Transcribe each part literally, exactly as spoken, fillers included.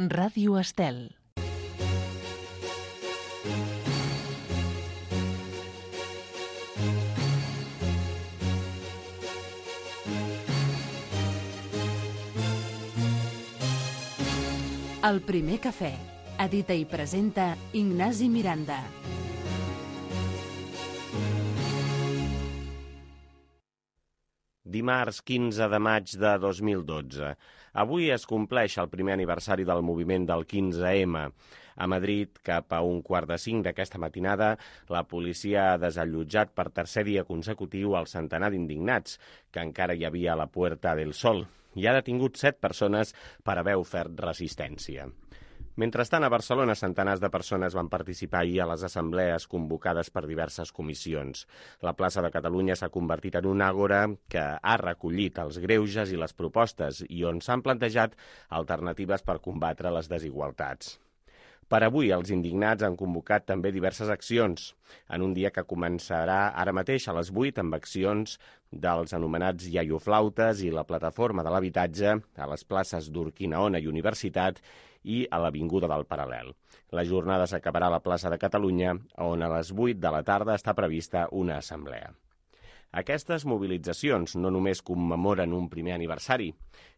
Ràdio Estel. El primer cafè. Edita i presenta Ignasi Miranda. Dimarts quinze de maig de dos mil dotze. Avui es compleix el primer aniversari del moviment del quinze ema. A Madrid, cap a un quart de cinc d'aquesta matinada, la policia ha desallotjat per tercer dia consecutiu el centenar d'indignats que encara hi havia a la Puerta del Sol i ha detingut set persones per haver ofert resistència. Mentrestant, a Barcelona, centenars de persones van participar ahir a les assemblees convocades per diverses comissions. La plaça de Catalunya s'ha convertit en un àgora que ha recollit els greuges i les propostes i on s'han plantejat alternatives per combatre les desigualtats. Per avui, els indignats han convocat també diverses accions, en un dia que començarà ara mateix a les vuit amb accions dels anomenats iaioflautes i la plataforma de l'habitatge a les places d'Urquinaona i Universitat i a l'Avinguda del Paral·lel. La jornada s'acabarà a la plaça de Catalunya, on a les vuit de la tarda està prevista una assemblea. Aquestes mobilitzacions no només commemoren un primer aniversari,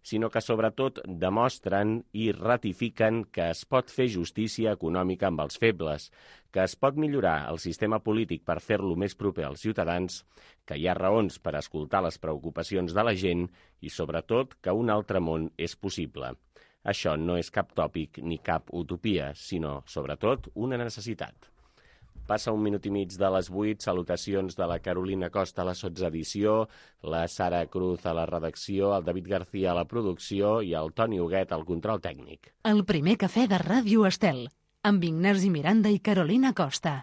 sinó que sobretot demostren i ratifiquen que es pot fer justícia econòmica amb els febles, que es pot millorar el sistema polític per fer-lo més proper als ciutadans, que hi ha raons per escoltar les preocupacions de la gent i, sobretot, que un altre món és possible. Això no és cap tòpic ni cap utopia, sinó, sobretot, una necessitat. Passa un minut i mig de les vuit, salutacions de la Carolina Costa a la sotsedició, la Sara Cruz a la redacció, el David García a la producció i el Toni Huguet al control tècnic. El primer cafè de Ràdio Estel, amb Ignasi Miranda i Carolina Costa.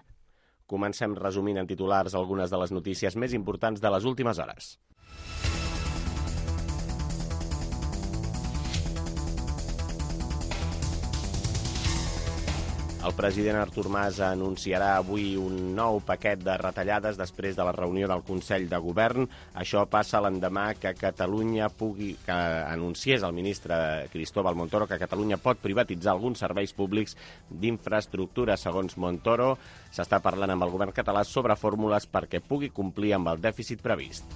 Comencem resumint en titulars algunes de les notícies més importants de les últimes hores. El president Artur Mas anunciarà avui un nou paquet de retallades després de la reunió del Consell de Govern. Això passa l'endemà que Catalunya pugui, que anunciés el ministre Cristóbal Montoro que Catalunya pot privatitzar alguns serveis públics d'infraestructura. Segons Montoro, s'està parlant amb el govern català sobre fórmules perquè pugui complir amb el dèficit previst.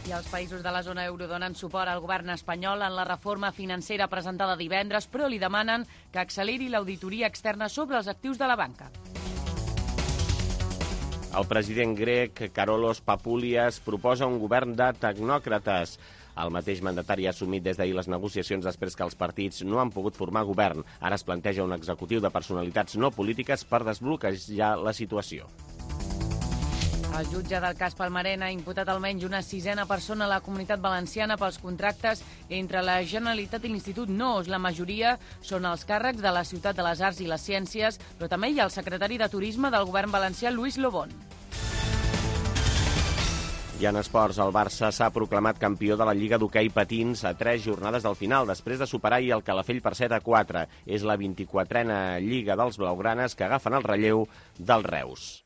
I els països de la zona euro donen suport al govern espanyol en la reforma financera presentada divendres, però li demanen que acceleri l'auditoria externa sobre els actius de la banca. El president grec, Karolos Papoulias, proposa un govern de tecnòcrates. El mateix mandatari ha assumit des d'ahir les negociacions després que els partits no han pogut formar govern. Ara es planteja un executiu de personalitats no polítiques per desbloquejar la situació. El jutge del cas Palmaren ha imputat almenys una sisena persona a la Comunitat Valenciana pels contractes entre la Generalitat i l'Institut Noos. La majoria són els càrrecs de la Ciutat de les Arts i les Ciències, però també hi ha el secretari de Turisme del govern valencià, Luis Lobón. I en esports, el Barça s'ha proclamat campió de la Lliga d'Hoquei Patins a tres jornades del final, després de superar ahir el Calafell per set a quatre. És la vint-i-quatrena Lliga dels blaugranes que agafen el relleu del Reus.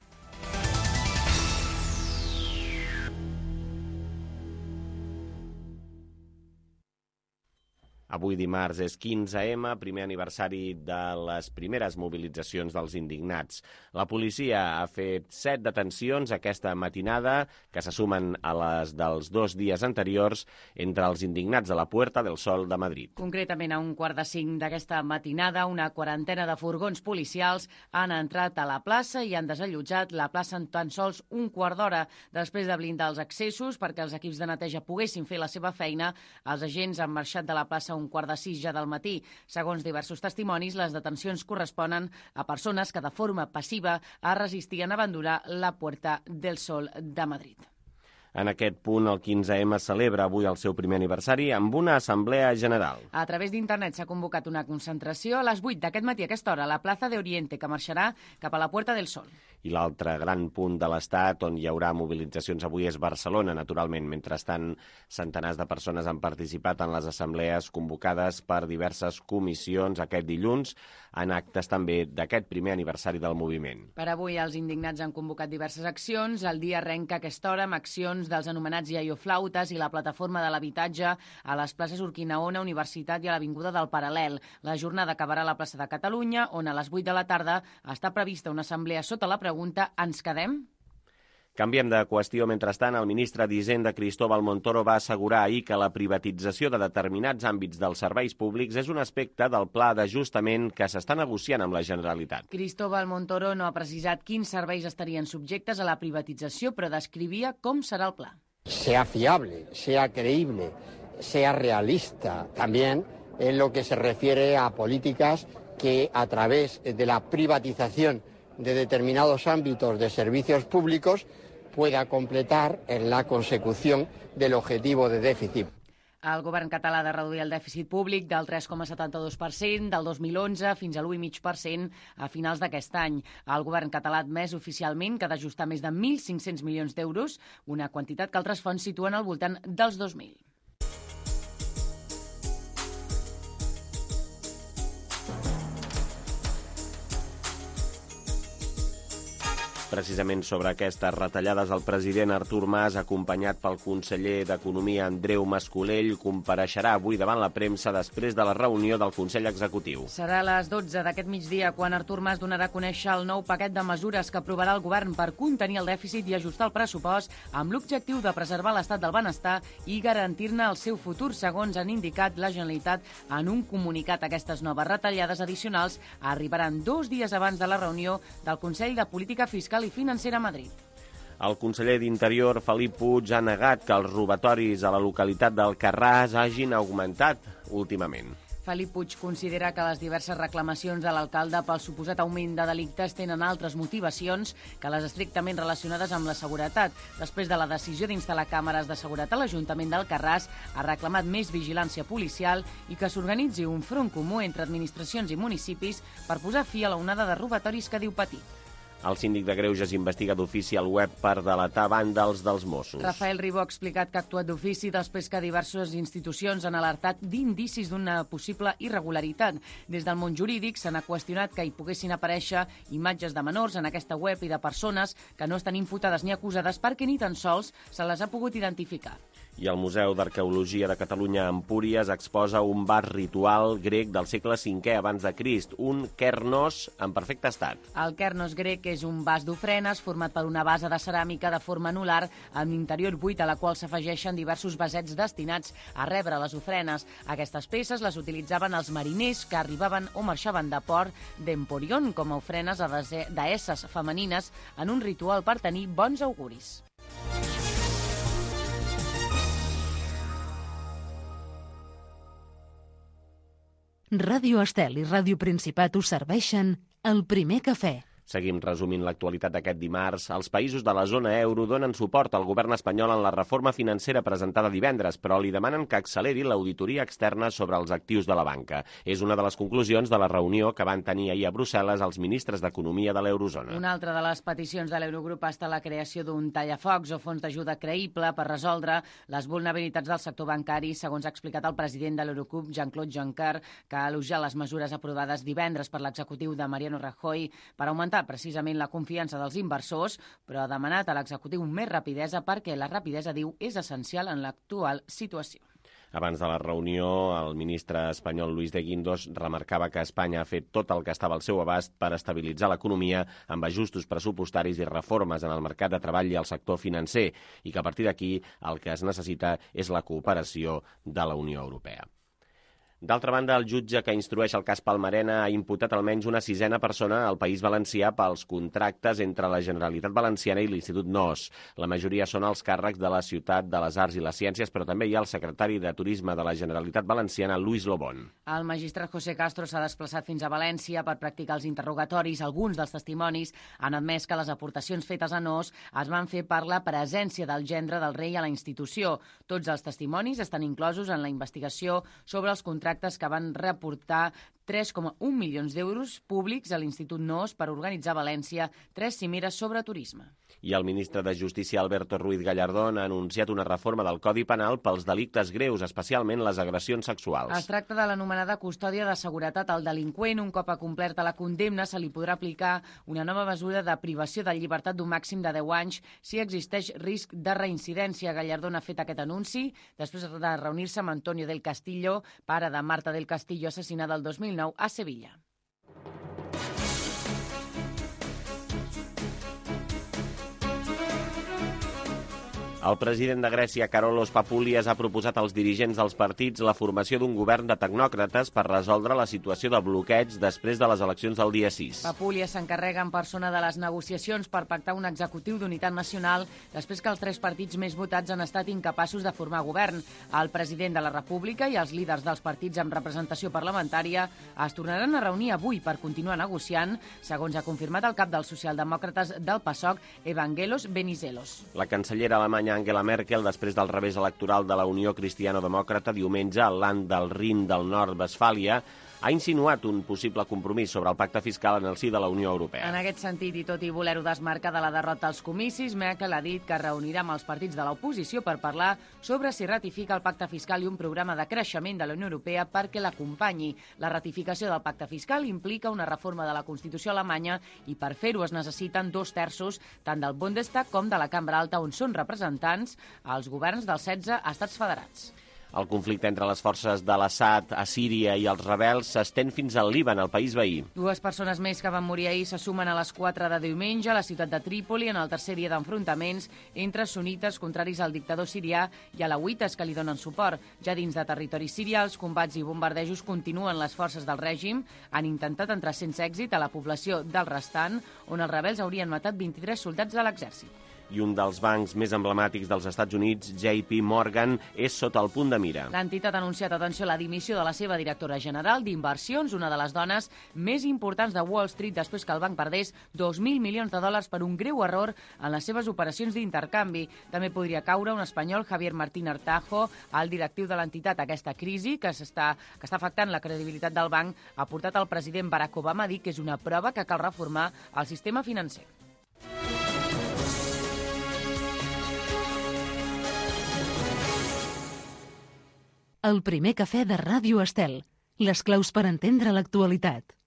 Avui dimarts és quinze ema, primer aniversari de les primeres mobilitzacions dels indignats. La policia ha fet set detencions aquesta matinada, que se sumen a les dels dos dies anteriors, entre els indignats de la Puerta del Sol de Madrid. Concretament, a un quart de cinc d'aquesta matinada, una quarantena de furgons policials han entrat a la plaça i han desallotjat la plaça en tan sols un quart d'hora. Després de blindar els accessos perquè els equips de neteja poguessin fer la seva feina, els agents han marxat de la plaça un quart de sis ja del matí. Segons diversos testimonis, les detencions corresponen a persones que de forma passiva es resistien a abandonar la Puerta del Sol de Madrid. En aquest punt, el quinze ema celebra avui el seu primer aniversari amb una assemblea general. A través d'internet s'ha convocat una concentració a les vuit d'aquest matí a aquesta hora a la plaça de Oriente, que marxarà cap a la Puerta del Sol. I l'altre gran punt de l'Estat on hi haurà mobilitzacions avui és Barcelona, naturalment. Mentrestant, centenars de persones han participat en les assemblees convocades per diverses comissions aquest dilluns, en actes també d'aquest primer aniversari del moviment. Per avui, els indignats han convocat diverses accions. El dia arrenca a aquesta hora amb accions dels anomenats iaioflautes i la plataforma de l'habitatge a les places Urquinaona, Universitat i a l'Avinguda del Paral·lel. La jornada acabarà a la plaça de Catalunya, on a les vuit de la tarda està prevista una assemblea sota la pregunta «Ens quedem?». Canviem de qüestió. Mentrestant, el ministre d'Hisenda, Cristóbal Montoro, va assegurar ahir que la privatització de determinats àmbits dels serveis públics és un aspecte del pla d'ajustament que s'està negociant amb la Generalitat. Cristóbal Montoro no ha precisat quins serveis estarien subjectes a la privatització, però descrivia com serà el pla. Sea fiable, sea creíble, sea realista, también en lo que se refiere a políticas que a través de la privatización de determinados ámbitos de servicios públicos pueda completar en la consecución del objetivo de déficit. El govern català ha de reduir el dèficit públic del tres coma setanta-dos per cent del dos mil onze fins a l'u coma cinc per cent a finals d'aquest any. El govern català ha admès oficialment que ha d'ajustar més de mil cinc-cents milions d'euros, una quantitat que altres fonts situen al voltant dels dos mil. Precisament sobre aquestes retallades, el president Artur Mas, acompanyat pel conseller d'Economia Andreu Mascolell, compareixerà avui davant la premsa després de la reunió del Consell Executiu. Serà a les dotze d'aquest migdia quan Artur Mas donarà a conèixer el nou paquet de mesures que aprovarà el govern per contenir el dèficit i ajustar el pressupost amb l'objectiu de preservar l'estat del benestar i garantir-ne el seu futur, segons han indicat la Generalitat en un comunicat. Aquestes noves retallades addicionals arribaran dos dies abans de la reunió del Consell de Política Fiscal i Financera a Madrid. El conseller d'Interior, Felip Puig, ha negat que els robatoris a la localitat d'Alcarràs hagin augmentat últimament. Felip Puig considera que les diverses reclamacions de l'alcalde pel suposat augment de delictes tenen altres motivacions que les estrictament relacionades amb la seguretat. Després de la decisió d'instal·lar càmeres de seguretat, l'Ajuntament d'Alcarràs ha reclamat més vigilància policial i que s'organitzi un front comú entre administracions i municipis per posar fi a l'onada de robatoris que diu patir. El síndic de Greuges investiga d'ofici al web per delatar vàndals dels Mossos. Rafael Ribó ha explicat que ha actuat d'ofici després que diverses institucions han alertat d'indicis d'una possible irregularitat. Des del món jurídic se n'ha qüestionat que hi poguessin aparèixer imatges de menors en aquesta web i de persones que no estan imputades ni acusades perquè ni tan sols se les ha pogut identificar. I el Museu d'Arqueologia de Catalunya a Empúries exposa un vas ritual grec del segle cinquè abans de Crist, un kernos en perfecte estat. El kernos grec és un vas d'ofrenes format per una base de ceràmica de forma anular amb interior buit a la qual s'afegeixen diversos vasets destinats a rebre les ofrenes. Aquestes peces les utilitzaven els mariners que arribaven o marxaven de port d'Emporion com a ofrenes a deesses femenines en un ritual per tenir bons auguris. Ràdio Estel i Ràdio Principat us serveixen el primer cafè. Seguim resumint l'actualitat d'aquest dimarts. Els països de la zona euro donen suport al govern espanyol en la reforma financera presentada divendres, però li demanen que acceleri l'auditoria externa sobre els actius de la banca. És una de les conclusions de la reunió que van tenir ahir a Brussel·les els ministres d'Economia de l'Eurozona. Una altra de les peticions de l'Eurogrup ha estat la creació d'un tallafocs o fons d'ajuda creïble per resoldre les vulnerabilitats del sector bancari, segons ha explicat el president de l'Eurogrup, Jean-Claude Juncker, que ha elogiat les mesures aprovades divendres per l'executiu de Mariano Rajoy per augmentar precisament la confiança dels inversors, però ha demanat a l'executiu més rapidesa perquè la rapidesa, diu, és essencial en l'actual situació. Abans de la reunió, el ministre espanyol Luis de Guindos remarcava que Espanya ha fet tot el que estava al seu abast per estabilitzar l'economia amb ajustos pressupostaris i reformes en el mercat de treball i el sector financer i que a partir d'aquí el que es necessita és la cooperació de la Unió Europea. D'altra banda, el jutge que instrueix el cas Palmarena ha imputat almenys una sisena persona al País Valencià pels contractes entre la Generalitat Valenciana i l'Institut N O S. La majoria són els càrrecs de la Ciutat de les Arts i les Ciències, però també hi ha el secretari de Turisme de la Generalitat Valenciana, Luis Lobón. El magistrat José Castro s'ha desplaçat fins a València per practicar els interrogatoris. Alguns dels testimonis han admès que les aportacions fetes a N O S es van fer per la presència del gendre del rei a la institució. Tots els testimonis estan inclosos en la investigació sobre els contractes que van reportar tres coma un milions d'euros públics a l'Institut Noos per organitzar a València tres cimeres sobre turisme. I el ministre de Justícia, Alberto Ruiz Gallardón, ha anunciat una reforma del Codi Penal pels delictes greus, especialment les agressions sexuals. Es tracta de l'anomenada custòdia de seguretat al delinqüent. Un cop acomplerta la condemna, se li podrà aplicar una nova mesura de privació de llibertat d'un màxim de deu anys si existeix risc de reincidència. Gallardón ha fet aquest anunci després de reunir-se amb Antonio del Castillo, pare de Marta del Castillo, assassinada el dos mil nou a Sevilla. El president de Grècia, Karolos Papoulias, ha proposat als dirigents dels partits la formació d'un govern de tecnòcrates per resoldre la situació de bloqueig després de les eleccions del dia sis. Papoulias s'encarrega en persona de les negociacions per pactar un executiu d'unitat nacional després que els tres partits més votats han estat incapaços de formar govern. El president de la República i els líders dels partits amb representació parlamentària es tornaran a reunir avui per continuar negociant, segons ha confirmat el cap dels socialdemòcrates del PASOK, Evangelos Venizelos. La cancellera alemanya Angela Merkel, després del revés electoral de la Unió Cristiano-Demòcrata diumenge al Land del Rin del Nord-Westfàlia, ha insinuat un possible compromís sobre el pacte fiscal en el si de la Unió Europea. En aquest sentit, i tot i voler-ho desmarcar de la derrota als comicis, Merkel ha dit que es reunirà amb els partits de l'oposició per parlar sobre si ratifica el pacte fiscal i un programa de creixement de la Unió Europea perquè l'acompanyi. La ratificació del pacte fiscal implica una reforma de la Constitució alemanya i per fer-ho es necessiten dos terços tant del Bundestag com de la Cambra Alta, on són representants els governs dels setze estats federats. El conflicte entre les forces de l'Assad a Síria i els rebels s'estén fins al Líban, el país veí. Dues persones més que van morir ahir se sumen a les quatre de diumenge a la ciutat de Trípoli en el tercer dia d'enfrontaments entre sunnites contraris al dictador sirià i alauites que li donen suport. Ja dins de territori sirià, els combats i bombardejos continuen. Les forces del règim han intentat entrar sense èxit a la població del restant, on els rebels haurien matat vint-i-tres soldats de l'exèrcit. I un dels bancs més emblemàtics dels Estats Units, J P Morgan, és sota el punt de mira. L'entitat ha anunciat, atenció, la dimissió de la seva directora general d'inversions, una de les dones més importants de Wall Street, després que el banc perdés dos mil milions de dòlars per un greu error en les seves operacions d'intercanvi. També podria caure un espanyol, Javier Martín Artajo, el directiu de l'entitat. Aquesta crisi que s'està que està afectant la credibilitat del banc ha portat el president Barack Obama a dir que és una prova que cal reformar el sistema financer. El primer cafè de Ràdio Estel. Les claus per entendre l'actualitat.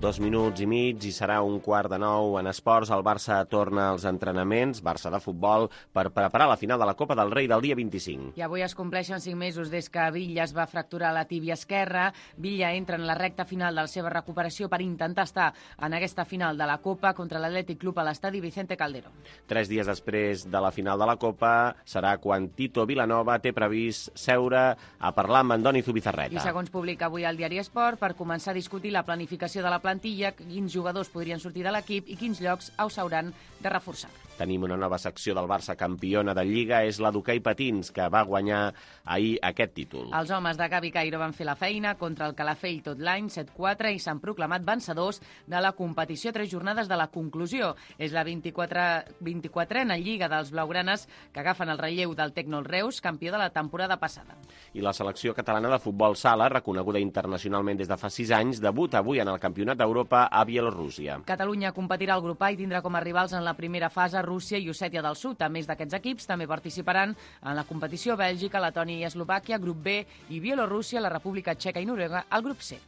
Dos minuts i mig i serà un quart de nou en esports. El Barça torna als entrenaments, Barça de futbol, per preparar la final de la Copa del Rei del dia vint-i-cinc. I avui es compleixen cinc mesos des que Villa es va fracturar la tíbia esquerra. Villa entra en la recta final de la seva recuperació per intentar estar en aquesta final de la Copa contra l'Atlètic Club a l'estadi Vicente Calderón. Tres dies després de la final de la Copa serà quan Tito Vilanova té previst seure a parlar amb Andoni Zubizarreta. I segons publica avui el diari Esport, per començar a discutir la planificació de la plantilla, quins jugadors podrien sortir de l'equip i quins llocs s'hauran de reforçar. Tenim una nova secció del Barça campiona de Lliga, és la d'hoquei patins, que va guanyar ahir aquest títol. Els homes de Gavi Cairo van fer la feina contra el Calafell tot l'any, set quatre, i s'han proclamat vencedors de la competició a tres jornades de la conclusió. És la vint-i-quatrena Lliga dels blaugranes que agafen el relleu del Tecnol Reus, campió de la temporada passada. I la selecció catalana de futbol sala, reconeguda internacionalment des de fa sis anys, debuta avui en el Campionat d'Europa a Bielorússia. Catalunya competirà al grup A i tindrà com a rivals en la primera fase Rússia i Ossètia del Sud. A més d'aquests equips, també participaran en la competició Bèlgica, Letònia i Eslovàquia, grup B, i Bielorússia, la República Txeca i Noruega al grup C.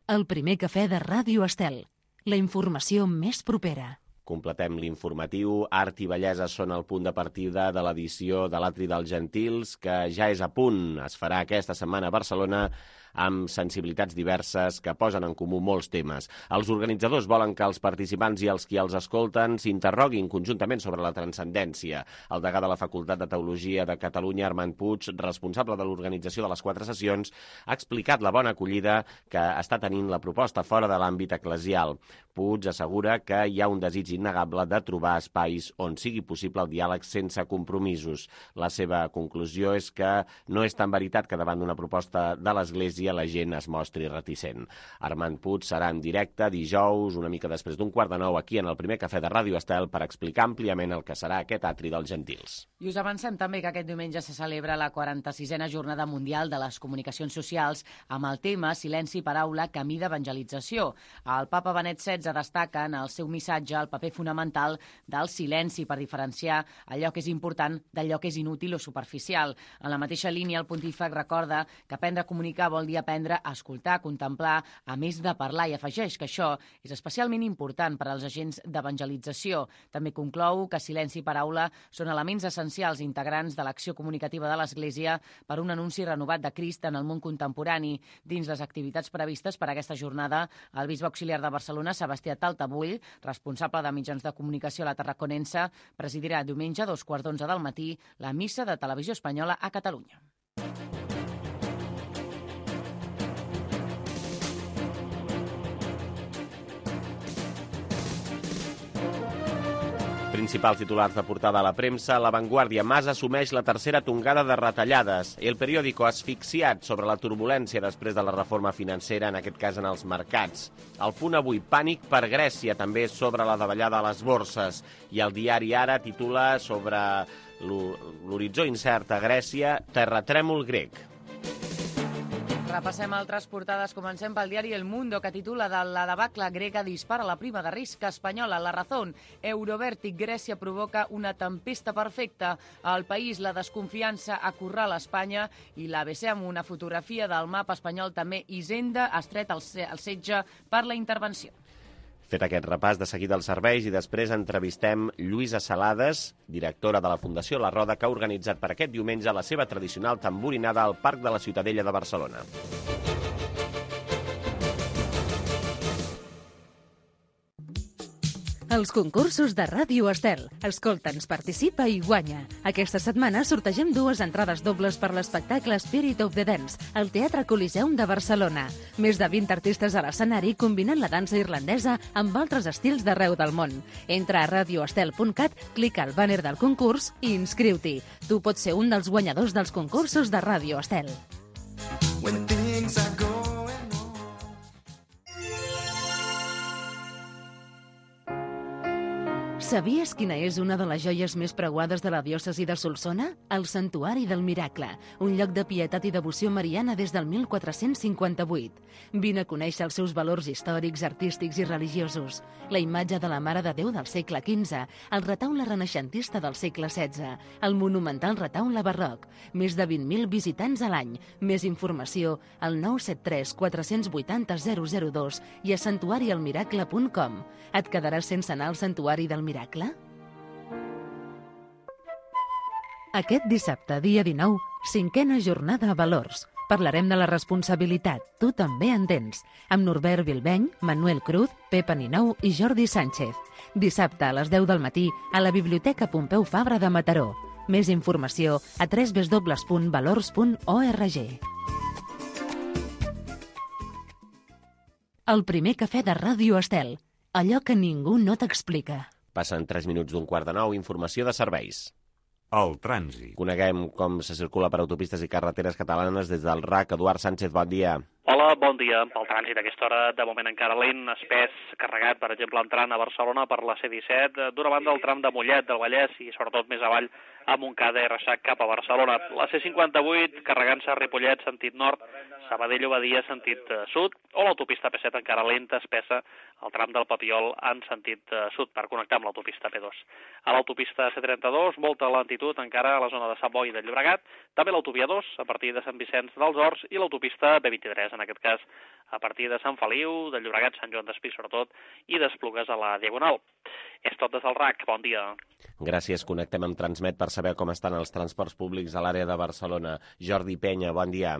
El primer cafè de Ràdio Estel. La informació més propera. Completem l'informatiu. Art i bellesa són el punt de partida de l'edició de l'Atri dels Gentils, que ja és a punt. Es farà aquesta setmana a Barcelona amb sensibilitats diverses que posen en comú molts temes. Els organitzadors volen que els participants i els qui els escolten s'interroguin conjuntament sobre la transcendència. El degà de la Facultat de Teologia de Catalunya, Armand Puig, responsable de l'organització de les quatre sessions, ha explicat la bona acollida que està tenint la proposta fora de l'àmbit eclesial. Puig assegura que hi ha un desig innegable de trobar espais on sigui possible el diàleg sense compromisos. La seva conclusió és que no és tan veritat que davant d'una proposta de l'Església la gent es mostri reticent. Armand Puig serà en directe dijous, una mica després d'un quart de nou, aquí en el primer cafè de Ràdio Estel, per explicar àmpliament el que serà aquest atri dels Gentils. I us avancem també que aquest diumenge se celebra la quaranta-sisena Jornada Mundial de les Comunicacions Socials amb el tema Silenci i paraula, camí d'evangelització. El papa Benet setze destaca en el seu missatge el paper fonamental del silenci per diferenciar allò que és important d'allò que és inútil o superficial. En la mateixa línia, el pontífex recorda que aprendre a comunicar vol dir aprendre a escoltar, a contemplar, a més de parlar, i afegeix que això és especialment important per als agents d'evangelització. També conclou que silenci i paraula són elements essencials integrants de l'acció comunicativa de l'Església per un anunci renovat de Crist en el món contemporani. Dins les activitats previstes per a aquesta jornada, el bisbe auxiliar de Barcelona, Sebastià Taltabull, responsable de mitjans de comunicació a la Tarraconense, presidirà diumenge a dos quarts d'onze del matí la missa de Televisió Espanyola a Catalunya. Principals titulars de portada a la premsa: La Vanguardia, Mas assumeix la tercera tongada de retallades. El periòdico, asfixiat sobre la turbulència després de la reforma financera, en aquest cas en els mercats. El Punt avui, pànic per Grècia, també sobre la davallada a les borses. I el diari Ara titula sobre l'horitzó incert a Grècia, terratrèmol grec. Repassem altres portades. Comencem pel diari El Mundo, que titula de la debacle grega dispara la prima de risc espanyola. La Razón, Eurovèrtic, Grècia provoca una tempesta perfecta. Al País, la desconfiança acorrala Espanya, i l'A B C amb una fotografia del mapa espanyol també. Hisenda estret el setge per la intervenció. Fet aquest repàs, de seguida els serveis, i després entrevistem Lluïsa Salades, directora de la Fundació La Roda, que ha organitzat per aquest diumenge la seva tradicional tamborinada al Parc de la Ciutadella de Barcelona. Els concursos de Ràdio Estel. Escolta'ns, participa i guanya. Aquesta setmana sortegem dues entrades dobles per l'espectacle Spirit of the Dance al Teatre Coliseum de Barcelona. Més de vint artistes a l'escenari combinant la dansa irlandesa amb altres estils d'arreu del món. Entra a radio estel punt cat, clica al bàner del concurs i inscriu-t'hi. Tu pots ser un dels guanyadors dels concursos de Ràdio Estel. When things are going Sabies quina és una de les joies més preuades de la diòcesi de Solsona? El Santuari del Miracle, un lloc de pietat i devoció mariana des del mil quatre-cents cinquanta-vuit. Vine a conèixer els seus valors històrics, artístics i religiosos. La imatge de la Mare de Déu del segle quinze, el retaule renaixentista del segle setze, el monumental retaule barroc, més de vint mil visitants a l'any. Més informació al nou set tres quatre vuit zero zero zero dos i a santuari el miracle punt com. Et quedaràs sense anar al Santuari del Miracle? Aquest dissabte, dia dinou, cinquena jornada a Valors. Parlarem de la responsabilitat, tu també en tens, amb Norbert Bilbeny, Manuel Cruz, Pepa Ninou i Jordi Sánchez. Dissabte a les deu del matí a la Biblioteca Pompeu Fabra de Mataró. Més informació a w w w punt valors punt org. El primer cafè de Ràdio Estel. Allò que ningú no t'explica. Passen tres minuts d'un quart de nou, informació de serveis. El trànsit. Coneguem com se circula per autopistes i carreteres catalanes des del R A C. Eduard Sánchez, bon dia. Hola, bon dia. Pel trànsit a aquesta hora, de moment encara lent, espès, carregat, per exemple, entrant a Barcelona per la C disset, d'una banda el tram de Mollet, del Vallès, i sobretot més avall a Montcada i Reixac cap a Barcelona. La C cinquanta-vuit, carregant-se a Ripollet, sentit nord, Sabadell, Obadia, sentit sud, o l'autopista P set encara lenta, espessa, al tram del Papiol en sentit sud, per connectar amb l'autopista P dos. A l'autopista C trenta-dos, molta lentitud encara a la zona de Sant Boi i del Llobregat, també l'autovia dos, a partir de Sant Vicenç dels Horts, i l'autopista B vint-i-tres, en aquest cas, a partir de Sant Feliu, del Llobregat, Sant Joan d'Espí, sobretot, i d'Esplugues a la Diagonal. És tot des del R A C. Bon dia. Gràcies. Connectem amb Transmet per saber com estan els transports públics a l'àrea de Barcelona. Jordi Penya, bon dia.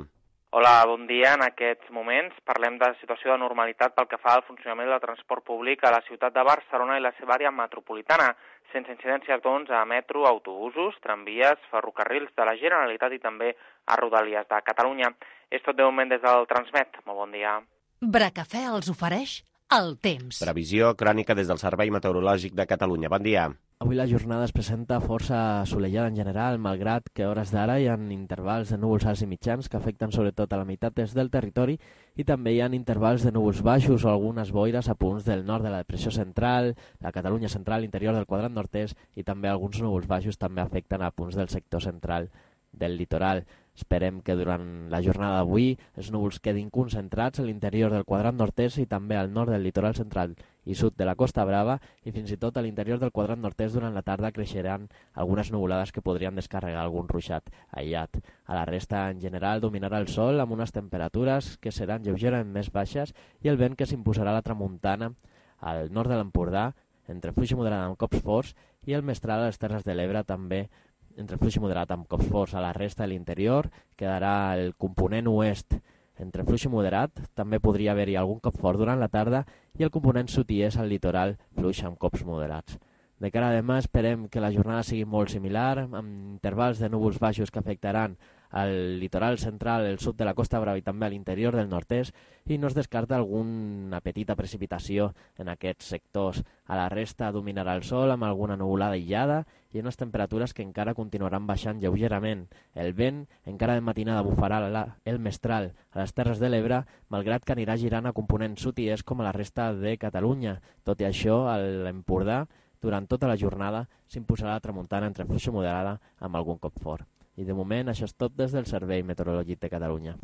Hola, bon dia. En aquests moments parlem de la situació de normalitat pel que fa al funcionament del transport públic a la ciutat de Barcelona i la seva àrea metropolitana, sense incidències, doncs, a metro, autobusos, tramvies, ferrocarrils de la Generalitat i també a Rodalies de Catalunya. És tot de moment des del Transmet. Molt bon dia. Bracafè els ofereix El temps. Previsió crònica des del Servei Meteorològic de Catalunya. Bon dia. Avui la jornada es presenta força assolellada en general, malgrat que a hores d'ara hi ha intervals de núvols alts i mitjans que afecten sobretot a la meitat est del territori i també hi ha intervals de núvols baixos o algunes boires a punts del nord de la depressió central, la Catalunya central, interior del quadrant nord-est i també alguns núvols baixos també afecten a punts del sector central del litoral. Esperem que durant la jornada d'avui els núvols quedin concentrats a l'interior del quadrant nord-est i també al nord del litoral central i sud de la Costa Brava i fins i tot a l'interior del quadrant nord-est durant la tarda creixeran algunes nuvolades que podrien descarregar algun ruixat aïllat. A la resta en general dominarà el sol amb unes temperatures que seran lleugerament més baixes i el vent que s'imposarà a la tramuntana al nord de l'Empordà entre fluix i moderat amb cops forts i el mestral a les Terres de l'Ebre també entre fluix i moderat amb cops forts. A la resta de l'interior quedarà el component oest entre fluix i moderat, també podria haver-hi algun cop fort durant la tarda i el component sud-i-est al litoral fluix amb cops moderats. De cara a demà esperem que la jornada sigui molt similar, amb intervals de núvols baixos que afectaran al litoral central, el sud de la Costa Brava i també a l'interior del nord-est i no es descarta alguna petita precipitació en aquests sectors. A la resta dominarà el sol amb alguna nuvolada aïllada i unes temperatures que encara continuaran baixant lleugerament. El vent encara de matinada bufarà la, el mestral a les Terres de l'Ebre, malgrat que anirà girant a component sud-i-est com a la resta de Catalunya. Tot i això, a l'Empordà, durant tota la jornada, s'imposarà la tramuntana entre fluixa moderada amb algun cop fort. I de moment això és tot des del Servei Meteorològic de Catalunya.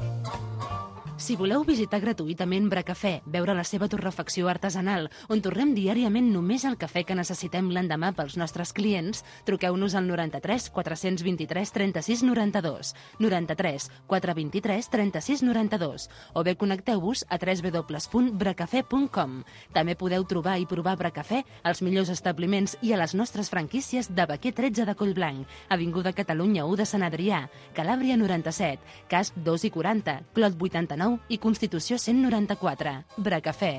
Si voleu visitar gratuïtament Bracafè, veure la seva torrefacció artesanal, on torrem diàriament només el cafè que necessitem l'endemà pels nostres clients, truqueu-nos al noranta-tres quatre-cents vint-i-tres trenta-sis noranta-dos, noranta-tres quatre vint-i-tres trenta-sis noranta-dos, o bé connecteu-vos a w w w punt bracafè punt com. També podeu trobar i provar Bracafè als millors establiments i a les nostres franquícies de Baquer tretze de Collblanc, Avinguda Catalunya u de Sant Adrià, Calàbria noranta-set, Casp dos i quaranta, Clot vuitanta-nou i Constitució cent noranta-quatre. Bracafè.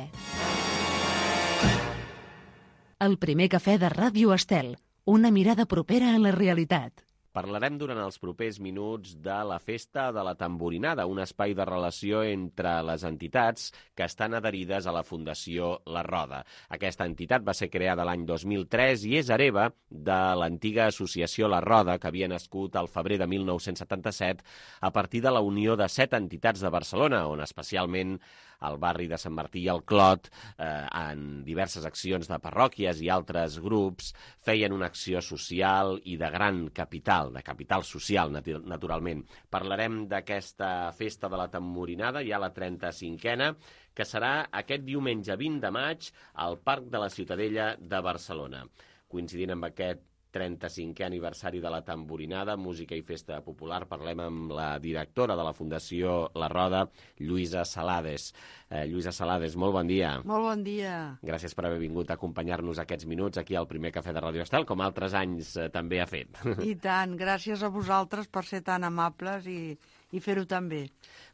El primer cafè de Ràdio Estel. Una mirada propera a la realitat. Parlarem durant els propers minuts de la Festa de la Tamborinada, un espai de relació entre les entitats que estan adherides a la Fundació La Roda. Aquesta entitat va ser creada l'any dos mil tres i és hereva de l'antiga associació La Roda, que havia nascut al febrer de mil nou-cents setanta-set a partir de la unió de set entitats de Barcelona, on especialment al barri de Sant Martí i el Clot, eh, en diverses accions de parròquies i altres grups, feien una acció social i de gran capital, de capital social, naturalment. Parlarem d'aquesta Festa de la Tamborinada, ja la trenta-cinquena, que serà aquest diumenge vint de maig al Parc de la Ciutadella de Barcelona. Coincidint amb aquest trenta-cinquè aniversari de la Tamborinada, música i festa popular, parlem amb la directora de la Fundació La Roda, Lluïsa Salades. Eh, Lluïsa Salades, molt bon dia. Molt bon dia. Gràcies per haver vingut a acompanyar-nos aquests minuts aquí al primer cafè de Ràdio Estel, com altres anys eh, també ha fet. I tant, gràcies a vosaltres per ser tan amables i, i fer-ho tan bé.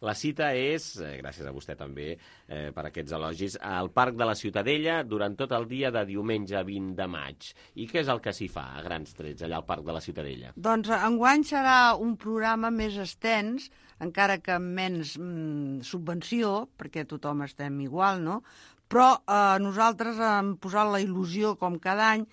La cita és, eh, gràcies a vostè també eh, per aquests elogis, al Parc de la Ciutadella durant tot el dia de diumenge vint de maig. I què és el que s'hi fa a grans trets allà al Parc de la Ciutadella? Doncs enguany serà un programa més extens, encara que amb menys mm, subvenció, perquè tothom estem igual, no? Però eh, nosaltres hem posat la il·lusió, com cada any,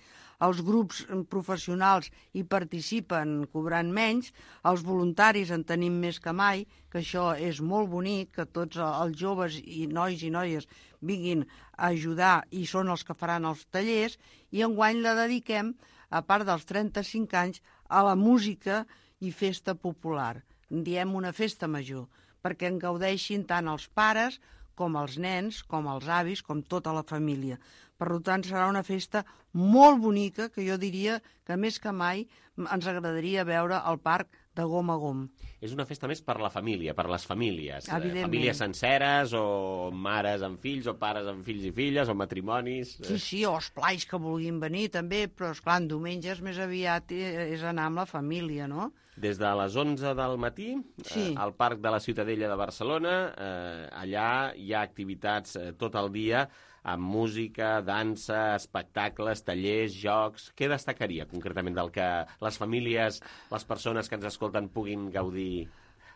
els grups professionals hi participen cobrant menys, els voluntaris en tenim més que mai, que això és molt bonic, que tots els joves i nois i noies vinguin a ajudar i són els que faran els tallers, i enguany la dediquem, a part dels trenta-cinc anys, a la música i festa popular. En diem una festa major, perquè en gaudeixin tant els pares com els nens, com els avis, com tota la família. Per tant, serà una festa molt bonica, que jo diria que més que mai ens agradaria veure al parc de gom a gom. És una festa més per la família, per les famílies. Evidentment. Famílies senceres, o mares amb fills, o pares amb fills i filles, o matrimonis. Sí, sí, o esplais que vulguin venir també, però esclar, en diumenges més aviat és anar amb la família, no? Des de les onze del matí, sí. eh, al Parc de la Ciutadella de Barcelona, eh, allà hi ha activitats eh, tot el dia, amb música, dansa, espectacles, tallers, jocs. Què destacaria concretament del que les famílies, les persones que ens escolten puguin gaudir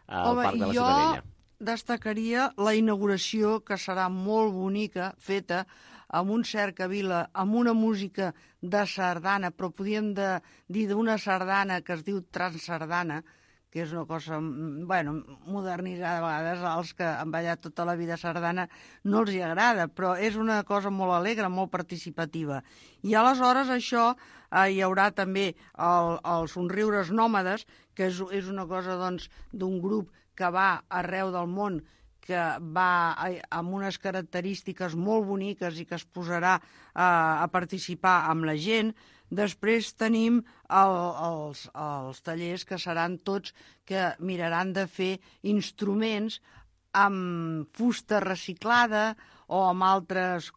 al Home, Parc de la jo, Ciutadella? destacaria la inauguració, que serà molt bonica, feta amb un cercavila, amb una música de sardana, però podíem de, dir d'una sardana que es diu transsardana, que és una cosa, bueno, modernitzada a vegades, als que han ballat tota la vida sardana no els hi agrada, però és una cosa molt alegre, molt participativa. I aleshores això eh, hi haurà també el, els somriures nòmades, que és, és una cosa doncs d'un grup que va arreu del món, que va amb unes característiques molt boniques i que es posarà eh, a participar amb la gent. Després tenim el, els, els tallers que seran tots que miraran de fer instruments amb fusta reciclada o amb altres,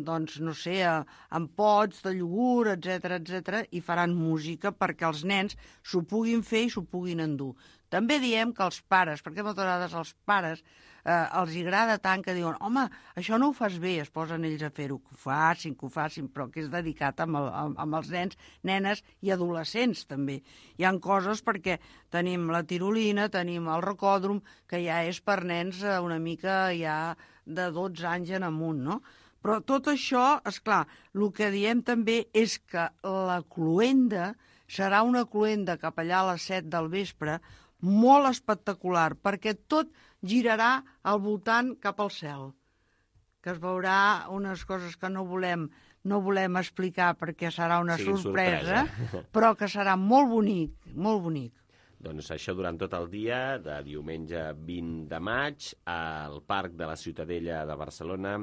doncs, no sé, amb pots de iogurt, etcètera, etcètera, i faran música perquè els nens s'ho puguin fer i s'ho puguin endur. També diem que els pares, perquè moltes vegades els pares eh, els agrada tant que diuen home, això no ho fas bé, es posen ells a fer-ho, que ho facin, que ho facin, però que és dedicat amb, el, amb els nens, nenes i adolescents també. Hi ha coses perquè tenim la tirolina, tenim el rocòdrom, que ja és per nens una mica ja de dotze anys en amunt, no? Però tot això, és clar, el que diem també és que la cloenda serà una cloenda cap allà a les set del vespre, molt espectacular, perquè tot girarà al voltant cap al cel, que es veurà unes coses que no volem, no volem explicar perquè serà una sí, sorpresa, sorpresa, però que serà molt bonic, molt bonic. Doncs això durant tot el dia, de diumenge vint de maig, al Parc de la Ciutadella de Barcelona,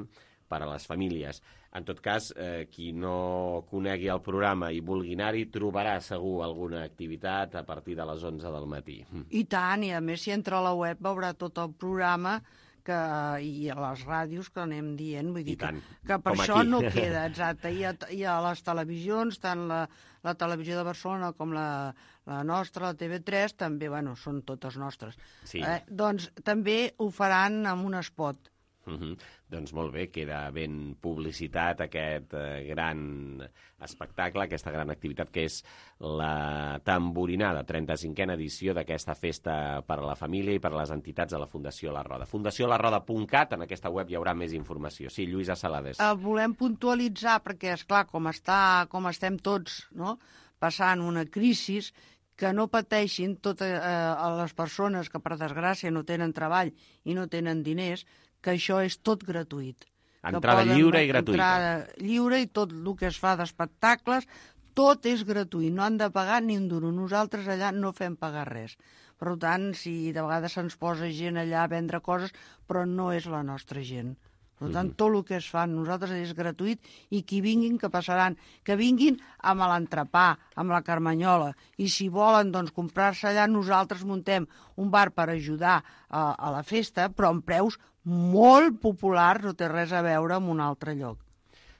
per a les famílies. En tot cas, eh, qui no conegui el programa i vulgui anar-hi, trobarà segur alguna activitat a partir de les onze del matí. I tant, i a més, si entra a la web veurà tot el programa que, i a les ràdios que anem dient. Vull dir que, que per com això aquí. No queda, exacte. I a, i a les televisions, tant la, la televisió de Barcelona com la, la nostra, la T V tres, també, bueno, són totes nostres. Sí. Eh, doncs també ho faran amb un spot. Uh -huh. Doncs molt bé, queda ben publicitat aquest eh, gran espectacle, aquesta gran activitat que és la Tamborinada, trenta-cinquena edició d'aquesta festa per a la família i per a les entitats de la Fundació La Roda. fundació la roda punt cat, en aquesta web hi haurà més informació. Sí, Lluïsa Salades. Uh, volem puntualitzar, perquè, esclar, com, està, com estem tots, no?, passant una crisi, que no pateixin totes eh, les persones que, per desgràcia, no tenen treball i no tenen diners, que això és tot gratuït. Entrada lliure i gratuïta. Entrada lliure i tot el que es fa d'espectacles, tot és gratuït, no han de pagar ni un duro. Nosaltres allà no fem pagar res. Per tant, si de vegades se'ns posa gent allà a vendre coses, però no és la nostra gent. Per tant, tot el que es fa nosaltres és gratuït i qui vinguin, que passaran, que vinguin amb l'entrepà, amb la carmanyola, i si volen doncs, comprar-se allà, nosaltres muntem un bar per ajudar a, a la festa, però amb preus molt populars, no té res a veure amb un altre lloc.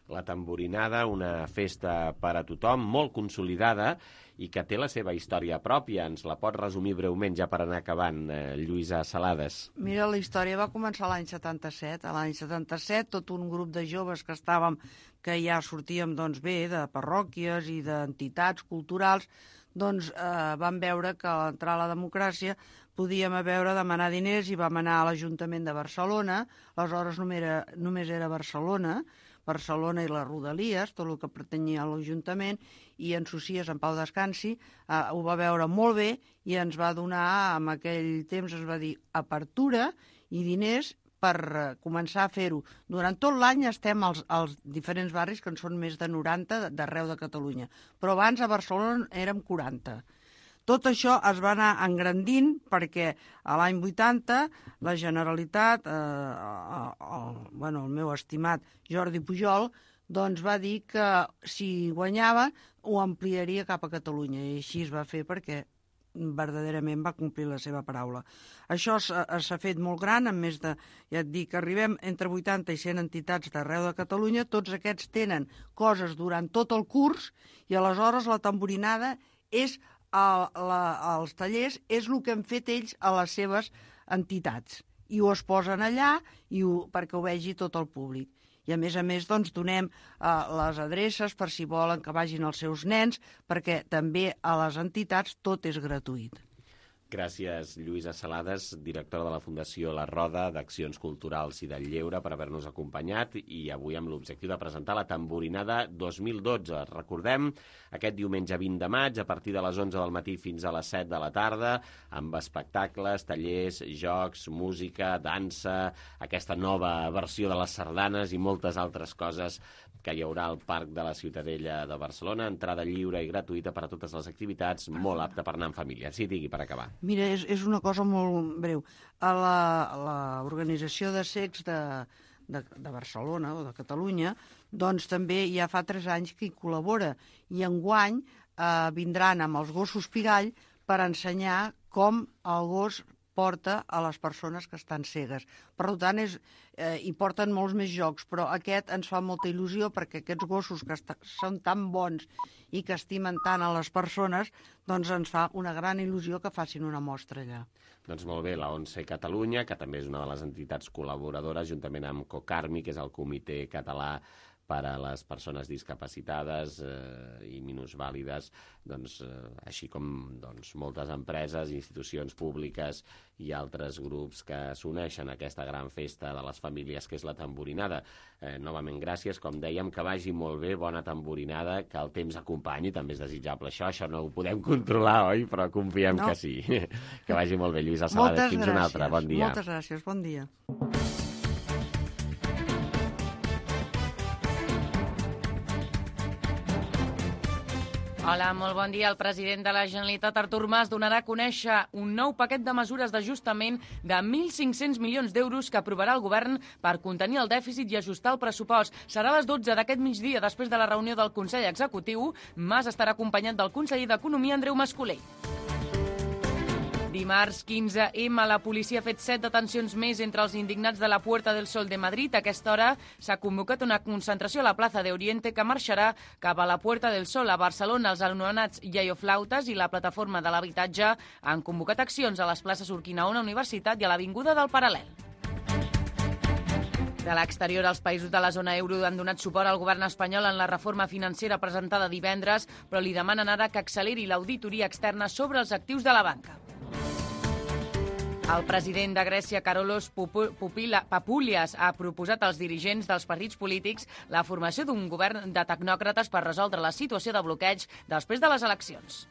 La Tamborinada, una festa per a tothom, molt consolidada i que té la seva història pròpia. Ens la pot resumir breument ja per anar acabant, eh, Lluïsa Salades? Mira, la història va començar l'any setanta-set. A l'any setanta-set, tot un grup de joves que estàvem, que ja sortíem doncs, bé de parròquies i d'entitats culturals, doncs eh, vam veure que a l'entrar a la democràcia podíem a veure demanar diners i vam anar a l'Ajuntament de Barcelona. Aleshores només era, només era Barcelona, Barcelona i les Rodalies, tot el que pertanyia a l'Ajuntament, i en Socies, en Pau Descansi, eh, ho va veure molt bé i ens va donar, en aquell temps es va dir, apertura i diners per començar a fer-ho. Durant tot l'any estem als, als diferents barris, que en són més de noranta d'arreu de Catalunya, però abans a Barcelona érem quaranta. Tot això es va anar engrandint perquè a l'any vuitanta la Generalitat, eh, el, bueno, el meu estimat Jordi Pujol, doncs va dir que si guanyava ho ampliaria cap a Catalunya, i així es va fer perquè verdaderament va complir la seva paraula. Això s'ha fet molt gran, amb més de, ja et dic, arribem entre vuitanta i cent entitats d'arreu de Catalunya, tots aquests tenen coses durant tot el curs i aleshores la tamborinada és A, la, als tallers és el que han fet ells a les seves entitats. I ho es posen allà i ho, perquè ho vegi tot el públic. I a més a més doncs, donem eh, les adreces per si volen que vagin els seus nens, perquè també a les entitats tot és gratuït. Gràcies, Lluïsa Salades, directora de la Fundació La Roda d'Accions Culturals i del Lleure, per haver-nos acompanyat, i avui amb l'objectiu de presentar la Tamborinada dos mil dotze. Recordem, aquest diumenge vint de maig, a partir de les onze del matí fins a les set de la tarda, amb espectacles, tallers, jocs, música, dansa, aquesta nova versió de les sardanes i moltes altres coses que hi haurà al Parc de la Ciutadella de Barcelona. Entrada lliure i gratuïta per a totes les activitats, molt apta per anar en família. Sí, digui, per acabar. Mira, és, és una cosa molt breu. A l'Organització de Cecs de, de, de Barcelona o de Catalunya, doncs també ja fa tres anys que hi col·labora. I enguany eh, vindran amb els gossos pigall per ensenyar com el gos porta a les persones que estan cegues. Per tant, és, eh, hi porten molts més jocs, però aquest ens fa molta il·lusió perquè aquests gossos que són tan bons i que estimen tant a les persones, doncs ens fa una gran il·lusió que facin una mostra allà. Doncs molt bé, la ONCE Catalunya, que també és una de les entitats col·laboradores, juntament amb COCARMI, que és el Comitè Català per a les persones discapacitades eh, i minusvàlides, doncs, eh, així com doncs, moltes empreses, institucions públiques i altres grups que s'uneixen a aquesta gran festa de les famílies que és la tamborinada. Eh, novament, gràcies, com dèiem, que vagi molt bé, bona tamborinada, que el temps acompanyi, també és desitjable això, això no ho podem controlar, oi? Però confiem no. que sí. Que vagi molt bé, Lluïsa Salades. Fins una altra, bon dia. Moltes gràcies, bon dia. Hola, molt bon dia. El president de la Generalitat, Artur Mas, donarà a conèixer un nou paquet de mesures d'ajustament de mil cinc-cents milions d'euros que aprovarà el govern per contenir el dèficit i ajustar el pressupost. Serà a les dotze d'aquest migdia, després de la reunió del Consell Executiu. Mas estarà acompanyat del conseller d'Economia, Andreu Mas-Colell. Dimarts quinze ema, la policia ha fet set detencions més entre els indignats de la Puerta del Sol de Madrid. A aquesta hora s'ha convocat una concentració a la plaça de Oriente que marxarà cap a la Puerta del Sol. A Barcelona, els anomenats iaioflautes i la plataforma de l'habitatge han convocat accions a les places Urquinaona, Universitat i a l'Avinguda del Paral·lel. De l'exterior, els països de la zona euro han donat suport al govern espanyol en la reforma financera presentada divendres, però li demanen ara que acceleri l'auditoria externa sobre els actius de la banca. El president de Grècia, Karolos Papoulias, ha proposat als dirigents dels partits polítics la formació d'un govern de tecnòcrates per resoldre la situació de bloqueig després de les eleccions.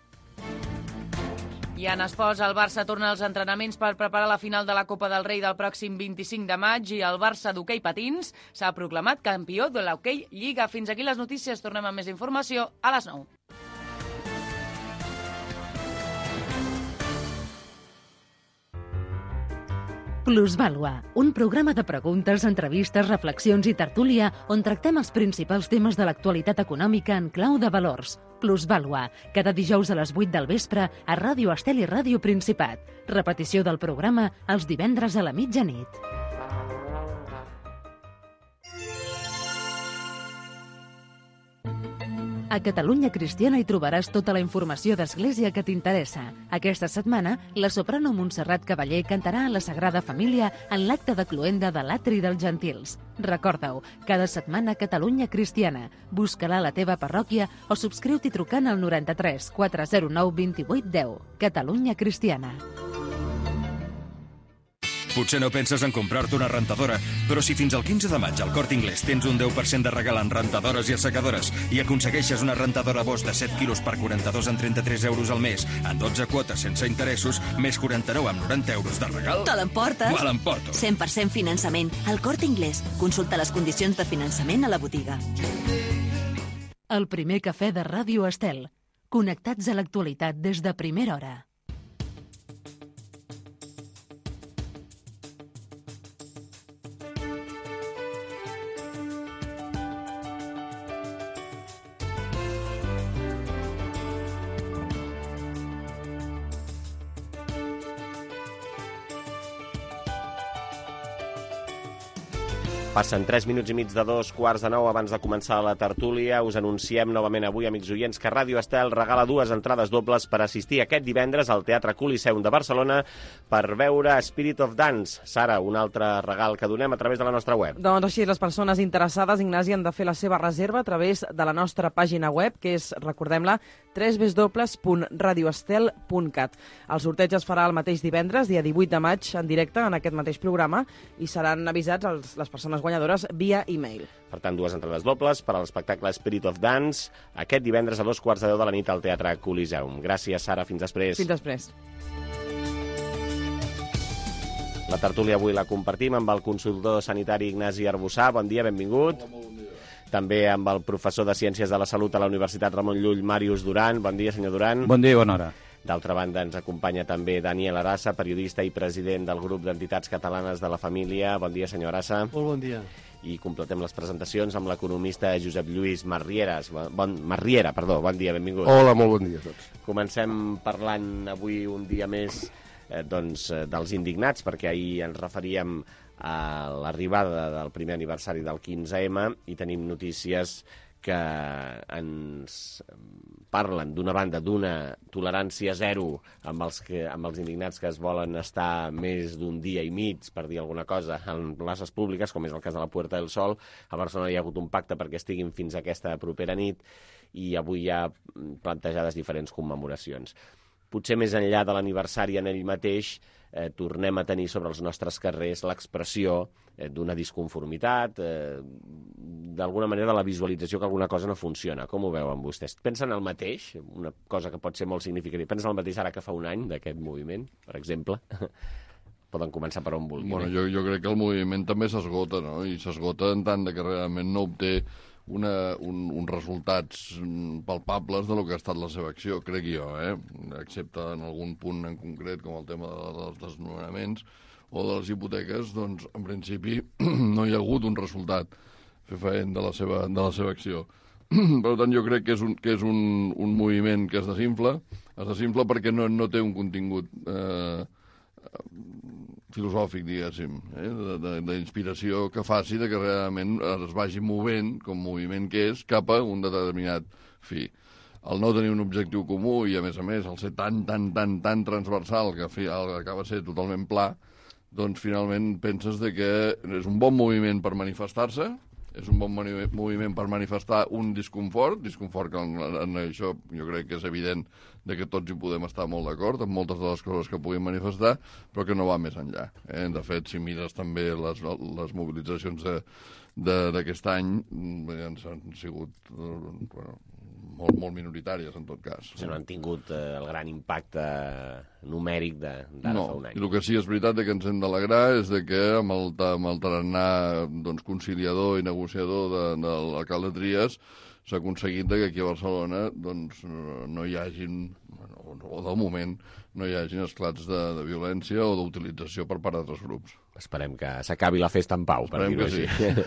I en esports, el Barça torna als entrenaments per preparar la final de la Copa del Rei del pròxim vint-i-cinc de maig i el Barça d'hoquei patins s'ha proclamat campió de l'Hoquei Lliga. Fins aquí les notícies. Tornem amb més informació a les nou. Plusvàlua, un programa de preguntes, entrevistes, reflexions i tertúlia on tractem els principals temes de l'actualitat econòmica en clau de valors. Plusvàlua, cada dijous a les vuit del vespre a Ràdio Estel i Ràdio Principat. Repetició del programa els divendres a la mitjanit. A Catalunya Cristiana hi trobaràs tota la informació d'Església que t'interessa. Aquesta setmana, la soprano Montserrat Cavaller cantarà a la Sagrada Família en l'acte de cloenda de l'Atri dels Gentils. Recorda-ho, cada setmana Catalunya Cristiana. Busca-la a la teva parròquia o subscriu-t'hi trucant al noranta-tres quatre zero nou vint vuit deu. Catalunya Cristiana. Potser no penses en comprar-te una rentadora, però si fins al quinze de maig al Corte Inglés tens un deu per cent de regal en rentadores i assecadores i aconsegueixes una rentadora Bosch de set quilos per quaranta-dos coma trenta-tres euros al mes en dotze quotes sense interessos, més quaranta-nou amb noranta euros de regal... Te l'emportes? Me l'emporto. cent per cent finançament. Al Corte Inglés. Consulta les condicions de finançament a la botiga. El primer cafè de Ràdio Estel. Connectats a l'actualitat des de primera hora. Passen tres minuts i mig de dos quarts de nou abans de començar la tertúlia. Us anunciem novament avui, amics oients, que Ràdio Estel regala dues entrades dobles per assistir aquest divendres al Teatre Coliseum de Barcelona per veure Spirit of Dance. Sara, un altre regal que donem a través de la nostra web. Doncs així, les persones interessades, Ignasi, han de fer la seva reserva a través de la nostra pàgina web, que és, recordem-la, w w w punt radio estel punt cat. El sorteig es farà el mateix divendres, dia divuit de maig, en directe en aquest mateix programa, i seran avisats els, les persones guanyadores via e-mail. Per tant, dues entrades dobles per a l'espectacle Spirit of Dance aquest divendres a dos quarts de deu de la nit al Teatre Coliseum. Gràcies, Sara. Fins després. Fins després. La tertúlia avui la compartim amb el consultor sanitari Ignasi Arbussà. Bon dia, benvingut. Hola, bon dia. També amb el professor de Ciències de la Salut a la Universitat Ramon Llull, Màrius Duran. Bon dia, senyor Duran. Bon dia i bona hora. D'altra banda, ens acompanya també Daniel Arassa, periodista i president del grup d'entitats catalanes de la família. Bon dia, senyor Arassa. Molt bon dia. I completem les presentacions amb l'economista Josep Lluís Marrieres. Bon, Marriera, perdó. Bon dia, benvingut. Hola, molt bon dia a tots. Comencem parlant avui un dia més eh, doncs, dels indignats, perquè ahir ens referíem a l'arribada del primer aniversari del quinze ema i tenim notícies que ens parlen, d'una banda, d'una tolerància zero amb els, que, amb els indignats que es volen estar més d'un dia i mig, per dir alguna cosa, en places públiques, com és el cas de la Puerta del Sol. A Barcelona hi ha hagut un pacte perquè estiguin fins a aquesta propera nit i avui hi ha plantejades diferents commemoracions. Potser més enllà de l'aniversari en ell mateix, eh, tornem a tenir sobre els nostres carrers l'expressió eh, d'una disconformitat, eh, d'alguna manera de la visualització que alguna cosa no funciona. Com ho veuen vostès? Pensen el mateix? Una cosa que pot ser molt significativa. Pensen el mateix ara que fa un any d'aquest moviment, per exemple? Poden començar per on vulguin. Bueno, jo, jo crec que el moviment també s'esgota, no? I s'esgota en tant que realment no obté Una, un, uns resultats palpables de lo que ha estat la seva acció, crec jo, eh? Excepte en algun punt en concret, com el tema de, dels desnonaments o de les hipoteques, doncs, en principi, no hi ha hagut un resultat fefaent de la seva, de la seva acció. Per tant, jo crec que és un, que és un, un moviment que es desinfla, es desinfla perquè no, no té un contingut eh, filosòfic, diguéssim, eh, d'inspiració que faci de que realment es vagi movent, com moviment que és, cap a un determinat fi. El no tenir un objectiu comú i, a més a més, el ser tan, tan, tan, tan transversal que acaba ser totalment pla, doncs finalment penses de que és un bon moviment per manifestar-se, és un bon moviment per manifestar un disconfort, disconfort que en, en això jo crec que és evident de que tots hi podem estar molt d'acord amb moltes de les coses que puguin manifestar, però que no va més enllà. Eh? De fet, si mires també les, les mobilitzacions d'aquest any, han sigut bueno, molt, molt minoritàries, en tot cas. O sigui, no han tingut eh, el gran impacte numèric d'ara no, fa un any. I el que sí és veritat que ens hem d'alegrar és de que amb el, amb el tarannà doncs, conciliador i negociador de, de l'alcalde Trias s'ha aconseguit que aquí a Barcelona doncs, no hi hagin, bueno, o de moment, no hi hagin esclats de, de violència o d'utilització per part d'altres grups. Esperem que s'acabi la festa en pau, per dir-ho així. Sí.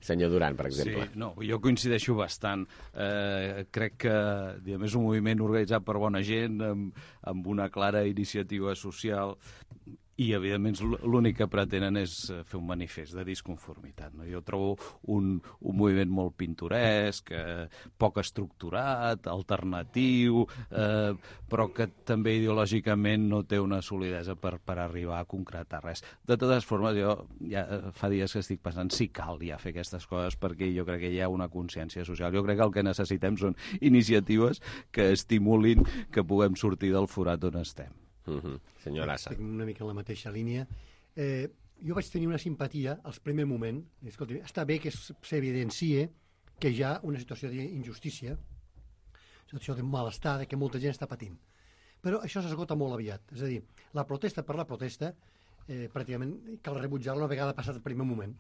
Senyor Duran, per exemple. Sí, no, jo coincideixo bastant. Eh, crec que diguem, és un moviment organitzat per bona gent, amb, amb una clara iniciativa social, i, evidentment, l'únic que pretenen és fer un manifest de disconformitat. No? Jo trobo un, un moviment molt pintoresc, eh, poc estructurat, alternatiu, eh, però que també ideològicament no té una solidesa per, per arribar a concretar res. De totes formes, jo ja fa dies que estic pensant si cal ja fer aquestes coses, perquè jo crec que hi ha una consciència social. Jo crec que el que necessitem són iniciatives que estimulin que puguem sortir del forat on estem. Uh-huh. Senyor Assa. Estic una mica en la mateixa línia. Eh, jo vaig tenir una simpatia al primer moment. Escolta, està bé que s'evidencie que hi ha una situació d'injustícia, situació de malestar, de que molta gent està patint. Però això s'esgota molt aviat. És a dir, la protesta per la protesta, eh, pràcticament cal rebutjar-la una vegada passat el primer moment.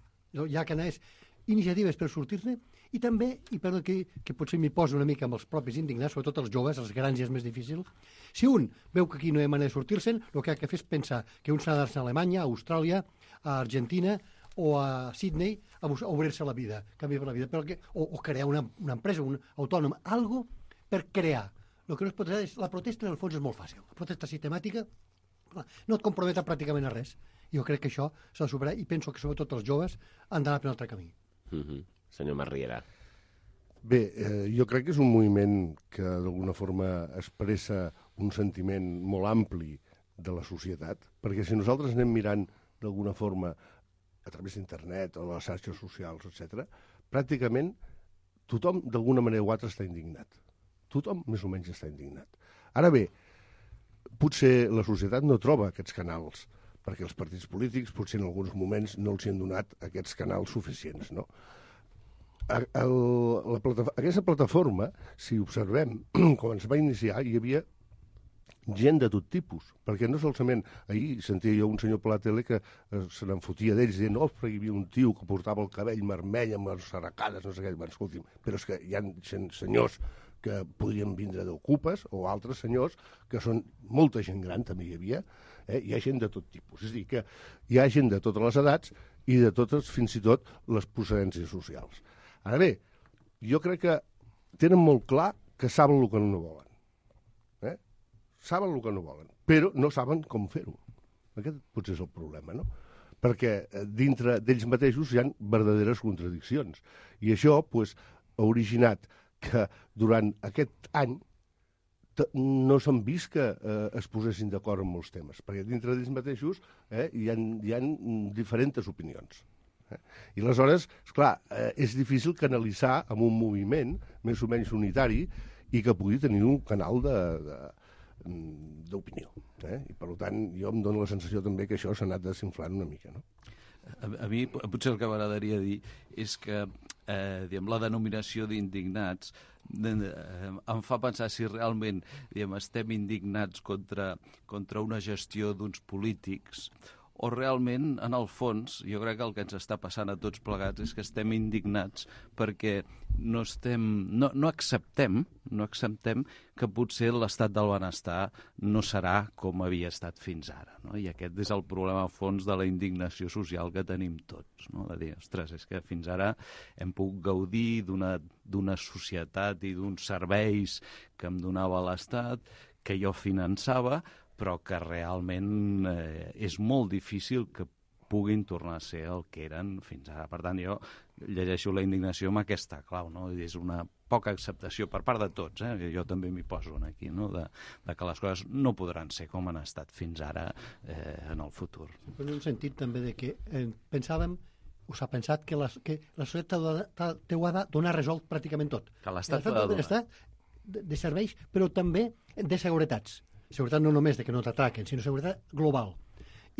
Ja que és iniciatives per sortir-ne, i també, i per que, que potser m'hi poso una mica amb els propis indignats, sobretot els joves, els grans ja és més difícil, si un veu que aquí no hi ha manera de sortir-se'n, el que ha de fer és pensar que un s'ha d'anar a Alemanya, a Austràlia, a Argentina o a Sydney a, a obrir-se la vida, canviar la vida, però que, o, o crear una, una empresa, un autònom, algo per crear. El que no es pot fer és, la protesta en el fons és molt fàcil. La protesta sistemàtica no et comprometa pràcticament a res. Jo crec que això s'ha de superar i penso que sobretot els joves han d'anar per un altre camí. Uh-huh. Senyor Marriera. Bé, eh, jo crec que és un moviment que d'alguna forma expressa un sentiment molt ampli de la societat, perquè si nosaltres anem mirant d'alguna forma a través d'internet o de les xarxes socials, etcètera, pràcticament tothom d'alguna manera o altra està indignat. tothom més o menys està indignat. Ara bé, potser la societat no troba aquests canals, perquè els partits polítics potser en alguns moments no els han donat aquests canals suficients, no? El, la plata, aquesta plataforma, si observem, quan es va iniciar, hi havia gent de tot tipus, perquè no solament ahir sentia jo un senyor per la tele que eh, se n'enfotia d'ells dient, no, però hi havia un tio que portava el cabell vermell amb les arracades, no sé què, bueno, escolti'm, però és que hi ha senyors que podrien vindre d'ocupes o altres senyors que són molta gent gran, també hi havia, eh? Hi ha gent de tot tipus, és a dir, que hi ha gent de totes les edats i de totes, fins i tot, les procedències socials. Ara bé, jo crec que tenen molt clar que saben el que no volen. Saben el que no volen, però no saben com fer-ho. Aquest potser és el problema, no? Perquè dintre d'ells mateixos hi ha verdaderes contradiccions. I això pues, ha originat que durant aquest any no s'han vist que eh, es posessin d'acord en molts temes, perquè dintre d'ells mateixos eh, hi, ha, hi ha diferents opinions. Eh? I aleshores, esclar, eh, és difícil canalitzar amb un moviment més o menys unitari i que pugui tenir un canal de... de d'opinió. Eh? I, per tant, jo em dono la sensació també que això s'ha anat desinflant una mica, no? A, a mi potser el que m'agradaria dir és que eh, diguem, la denominació d'indignats eh, em fa pensar si realment diguem, estem indignats contra, contra una gestió d'uns polítics o realment, en el fons, jo crec que el que ens està passant a tots plegats és que estem indignats perquè no, estem, no, no acceptem no acceptem que potser l'estat del benestar no serà com havia estat fins ara. No? I aquest és el problema a fons de la indignació social que tenim tots. No? De dir, ostres, és que fins ara hem pogut gaudir d'una d'una societat i d'uns serveis que em donava l'Estat, que jo finançava, però que realment eh, és molt difícil que puguin tornar a ser el que eren fins ara. Per tant, jo llegeixo la indignació amb aquesta clau, no? És una poca acceptació per part de tots, eh? Jo també m'hi poso aquí, no? de, de que les coses no podran ser com han estat fins ara eh, en el futur. En un sentit també de que eh, pensàvem, o s'ha pensat que la, que la societat t'ho ha de donar resolt pràcticament tot. Que l'Estat t'ho ha de donar. De, de serveis, però també de seguretats. Seguretat no només de que no t'atraquen, sinó seguretat global.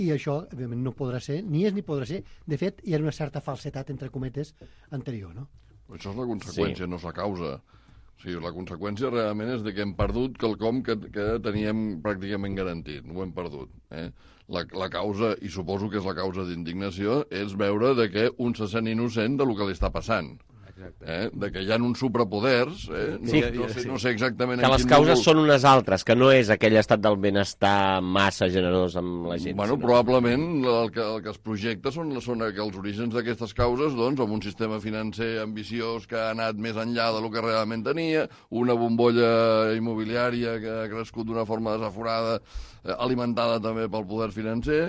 I això, evidentment, no podrà ser, ni és ni podrà ser. De fet, hi ha una certa falsetat, entre cometes, anterior, no? Això és la conseqüència, sí. No és la causa. O sigui, la conseqüència realment és de que hem perdut quelcom que, que teníem pràcticament garantit. No ho hem perdut. Eh? La, la causa, i suposo que és la causa d'indignació, és veure de que un se sent innocent de lo que li està passant. Eh? De que hi ha uns suprapoders, eh? no, sí, no, sé, no sé exactament... Que les causes núvol... són unes altres, que no és aquell estat del benestar massa generós amb la gent. Bueno, sinó... probablement el que, el que es projecta són, són que els orígens d'aquestes causes, doncs, amb un sistema financer ambiciós que ha anat més enllà del que realment tenia, una bombolla immobiliària que ha crescut d'una forma desaforada, eh, alimentada també pel poder financer,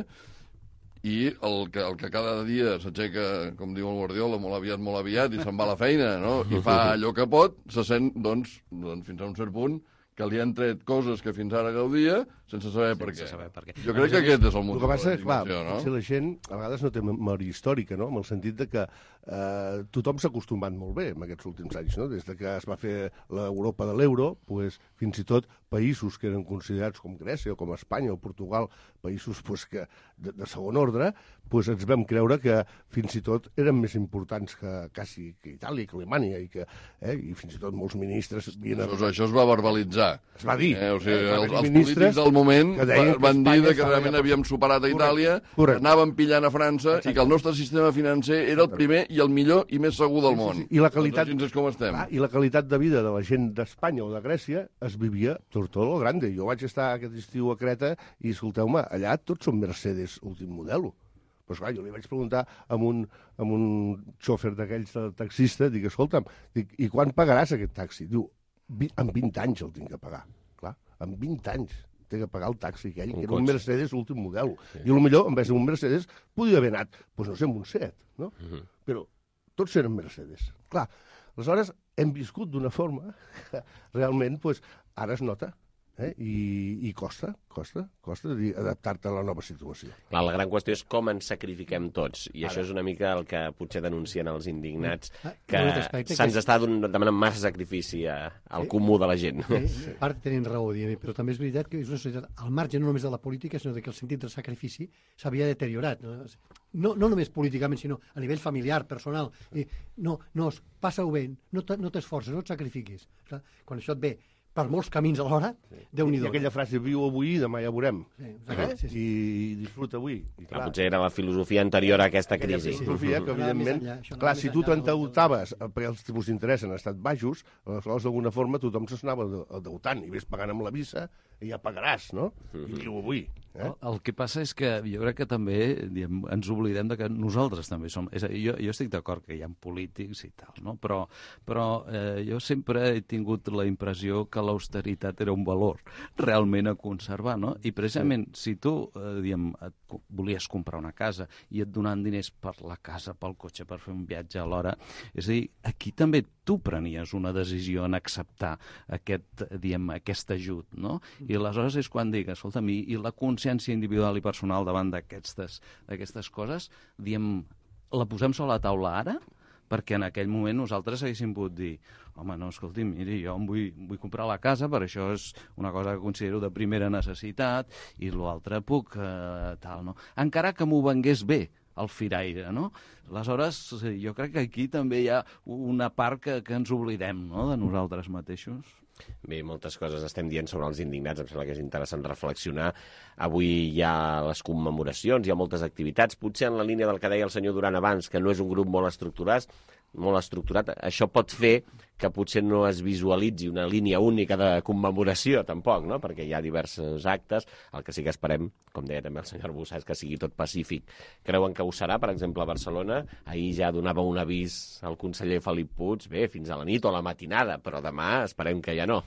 i el que, el que cada dia s'aixeca, com diu el Guardiola, molt aviat, molt aviat, i se'n va a la feina, no? I fa allò que pot, se sent, doncs, doncs fins a un cert punt, que li han tret coses que fins ara gaudia sense saber, sense per, què. saber per què. Jo crec que aquest és el motiu. El que passa és, clar, no? si la gent a vegades no té memòria històrica, no? En el sentit de que eh, tothom s'ha acostumat molt bé en aquests últims anys, no? Des de que es va fer l'Europa de l'euro, pues, fins i tot països que eren considerats com Grècia o com Espanya o Portugal, països pues, que, de, de segon ordre, pues, ens vam creure que fins i tot eren més importants que, quasi, que Itàlia, que Alemanya, i, que, eh, i fins i tot molts ministres... Això, això es va verbalitzar. Es va dir. Eh, o sigui, eh, els, els polítics del moment van dir que realment havíem superat a Itàlia, correcte, anàvem pillant a França, exacte, i que el nostre sistema financer era el primer i el millor i més segur del món. I la qualitat, doncs, com estem. Ah, I la qualitat de vida de la gent d'Espanya o de Grècia es vivia tot lo grande. Jo vaig estar aquest estiu a Creta i, escolteu-me, allà tots són Mercedes últim model. Però, esclar, jo li vaig preguntar a un, a un xòfer d'aquells de taxista, dic, escolta'm, dic, i quan pagaràs aquest taxi? Diu, en vint anys el tinc que pagar. Clar, en vint anys té que pagar el taxi aquell, que era un Mercedes últim model. Sí. I potser, en vez d'un Mercedes, podia haver anat, doncs no sé, amb un Seat, no? Uh -huh. Però tots eren Mercedes. Clar, aleshores hem viscut d'una forma que realment, doncs, ara es nota. Eh? I, I costa, costa, costa adaptar-te a la nova situació. Clar, la gran qüestió és com ens sacrifiquem tots, i Ara. això és una mica el que potser denuncien els indignats, que se'ns que... està demanant massa sacrifici a, al sí. comú de la gent. Sí, a part tenen raó, diguem, però també és veritat que és una societat al marge no només de la política, sinó que el sentit del sacrifici s'havia deteriorat. No? No, no només políticament, sinó a nivell familiar, personal. I no, no, passa-ho bé, no t'esforces, no et sacrifiquis. Clar? Quan això et ve per molts camins alhora, sí. Déu-n'hi-do. I aquella frase, viu avui, demà ja veurem. Sí, eh? sí, sí. I disfruta avui. I, clar, potser era la filosofia anterior a aquesta crisi. Aquella filosofia que, evidentment, sí. clar, si tu t'endeutaves perquè els tipus d'interès han estat baixos, aleshores, d'alguna forma, tothom s'anava endeutant i ves pagant amb la visa i ja pagaràs, no? I viu avui. Eh? El, el que passa és que jo crec que també diem, ens oblidem de que nosaltres també som... És a dir, jo, jo estic d'acord que hi ha polítics i tal, no? Però, però eh, jo sempre he tingut la impressió que l'austeritat era un valor realment a conservar, no? I precisament si tu eh, diem, et volies comprar una casa i et donaven diners per la casa, pel cotxe, per fer un viatge alhora, és a dir, aquí també tu prenies una decisió en acceptar aquest, diem, aquest ajut, no? I aleshores és quan dic, escolta, i, i la consciència individual i personal davant d'aquestes coses, diem, la posem sobre la taula ara? Perquè en aquell moment nosaltres haguéssim pogut dir, home, no, escolti, miri, jo em vull, vull comprar la casa, per això és una cosa que considero de primera necessitat, i l'altre puc, eh, tal, no? Encara que m'ho vengués bé, el firaire, no? Aleshores, jo crec que aquí també hi ha una part que, que ens oblidem, no?, de nosaltres mateixos. Bé, moltes coses estem dient sobre els indignats, em sembla que és interessant reflexionar. Avui hi ha les commemoracions, hi ha moltes activitats, potser en la línia del que deia el senyor Duran abans, que no és un grup molt estructurat, molt estructurat, això pot fer que potser no es visualitzi una línia única de commemoració, tampoc, no? Perquè hi ha diversos actes. El que sí que esperem, com deia també el senyor Arbussà, és que sigui tot pacífic. Creuen que ho serà, per exemple, a Barcelona? Ahir ja donava un avís al conseller Felip Puig, bé, fins a la nit o a la matinada, però demà esperem que ja no.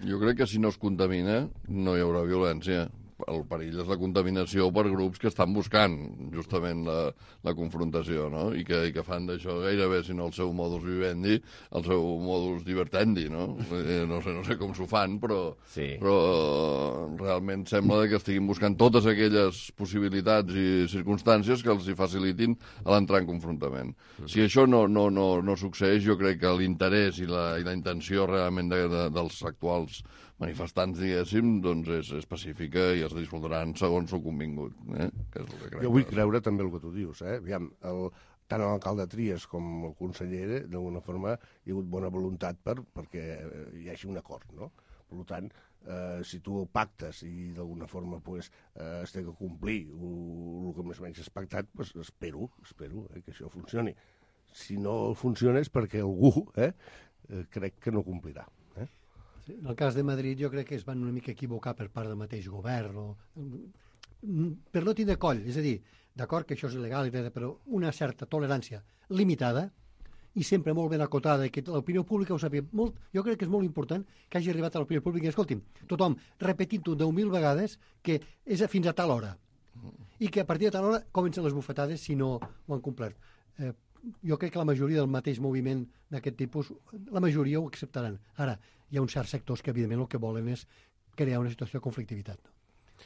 Jo crec que si no es contamina no hi haurà violència. El perill és la contaminació per grups que estan buscant justament la, la confrontació, no? I que, i que fan d'això gairebé, si no el seu modus vivendi, el seu modus divertendi, no? Eh, no sé, no sé com s'ho fan, però, sí. però eh, realment sembla que estiguin buscant totes aquelles possibilitats i circumstàncies que els hi facilitin a l'entrar en confrontament. Mm. Si això no, no, no, no succeeix, jo crec que l'interès i, la, i la intenció realment de, de, dels actuals manifestants, diguéssim, doncs és, és pacífica i es disfrutaran segons el convingut. Eh? Que és el que crec. Jo vull creure també el que tu dius. Eh? Aviam, el, tant l'alcalde Trias com el conseller, d'alguna forma, hi ha hagut bona voluntat per, perquè hi hagi un acord, no? Per tant, eh, si tu pactes i d'alguna forma pues, eh, es té que complir el que més o menys has pactat, pues, espero, espero eh, que això funcioni. Si no funciona és perquè algú eh, eh, crec que no complirà. Eh? En el cas de Madrid jo crec que es van una mica equivocar per part del mateix govern, o... per no tindre coll, és a dir, d'acord que això és il·legal, però una certa tolerància limitada i sempre molt ben acotada, que l'opinió pública ho sàpiga. Molt, jo crec que és molt important que hagi arribat a l'opinió pública i, escolti'm, tothom repetint-ho deu mil vegades que és fins a tal hora i que a partir de tal hora comencen les bufetades si no ho han complert. Eh, jo crec que la majoria del mateix moviment d'aquest tipus, la majoria ho acceptaran. Ara, hi ha uns certs sectors que, evidentment, el que volen és crear una situació de conflictivitat.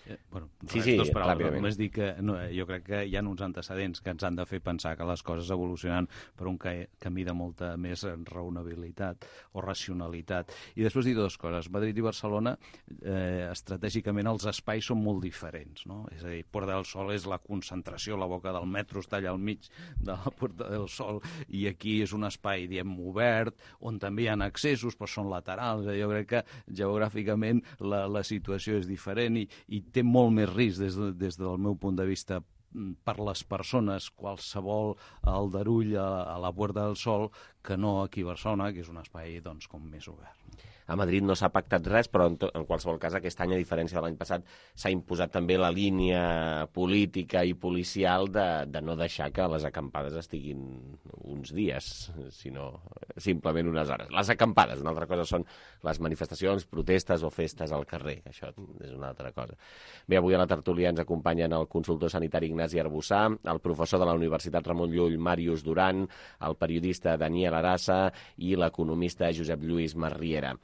Eh, bueno, sí, sí, dos paraules, només dir que no, jo crec que hi ha uns antecedents que ens han de fer pensar que les coses evolucionen per un camí de molta més raonabilitat o racionalitat. I després dir dues coses. Madrid i Barcelona, eh, estratègicament, els espais són molt diferents, no? És a dir, Puerta del Sol és la concentració, la boca del metro està allà al mig de la Puerta del Sol, i aquí és un espai, diem, obert, on també hi ha accessos, però són laterals. Jo crec que geogràficament la, la situació és diferent i, i té molt més risc des, de, des del meu punt de vista per les persones qualsevol aldarull a, a la Puerta del Sol que no aquí a Barcelona, que és un espai doncs, com més obert. A Madrid no s'ha pactat res, però en, to, en qualsevol cas aquest any, a diferència de l'any passat, s'ha imposat també la línia política i policial de, de no deixar que les acampades estiguin uns dies, sinó simplement unes hores. Les acampades, una altra cosa són les manifestacions, protestes o festes al carrer, això és una altra cosa. Bé, avui a la tertúlia ens acompanyen el consultor sanitari Ignasi Arbussà, el professor de la Universitat Ramon Llull, Màrius Duran, el periodista Daniel Arassa i l'economista Josep Lluís Marriera.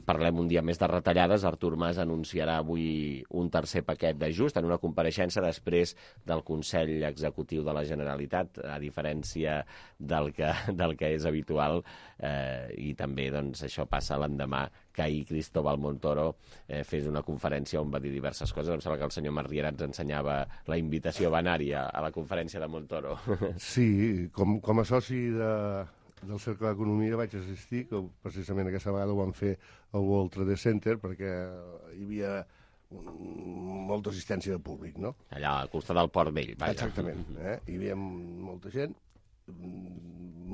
Parlem un dia més de retallades. Artur Mas anunciarà avui un tercer paquet d'ajust en una compareixença després del Consell Executiu de la Generalitat, a diferència del que, del que és habitual, eh, i també doncs, això passa l'endemà que ahir Cristóbal Montoro eh, fes una conferència on va dir diverses coses. Em sembla que el senyor Marriera ens ensenyava la invitació banària a la conferència de Montoro. Sí, com, com a soci de... del Cercle d'Economia vaig assistir, que precisament aquesta vegada ho van fer al World Trade Center, perquè hi havia molta assistència de públic, no? Allà al costat del Port Vell, vaja. Exactament. Eh? Hi havia molta gent,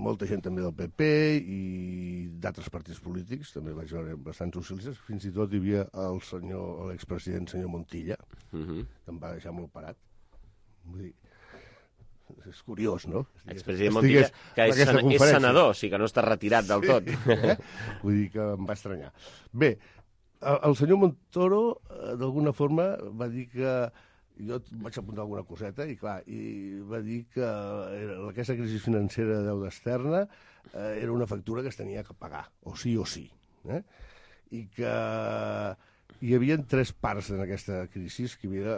molta gent també del P P i d'altres partits polítics, també vaig veure bastants socialistes, fins i tot hi havia el senyor, l'expresident senyor Montilla, uh -huh. que em va deixar molt parat. Vull dir, és curiós, no? Expresident Montilla, que és, sen és senador, o sigui que no està retirat del sí. tot. Eh? Vull dir que em va estranyar. Bé, el, el senyor Montoro, d'alguna forma, va dir que... Jo vaig apuntar alguna coseta, i clar, i va dir que aquesta crisi financera de deute externa eh, era una factura que es tenia que pagar, o sí o sí. Eh? I que... hi havia tres parts en aquesta crisi, que hi havia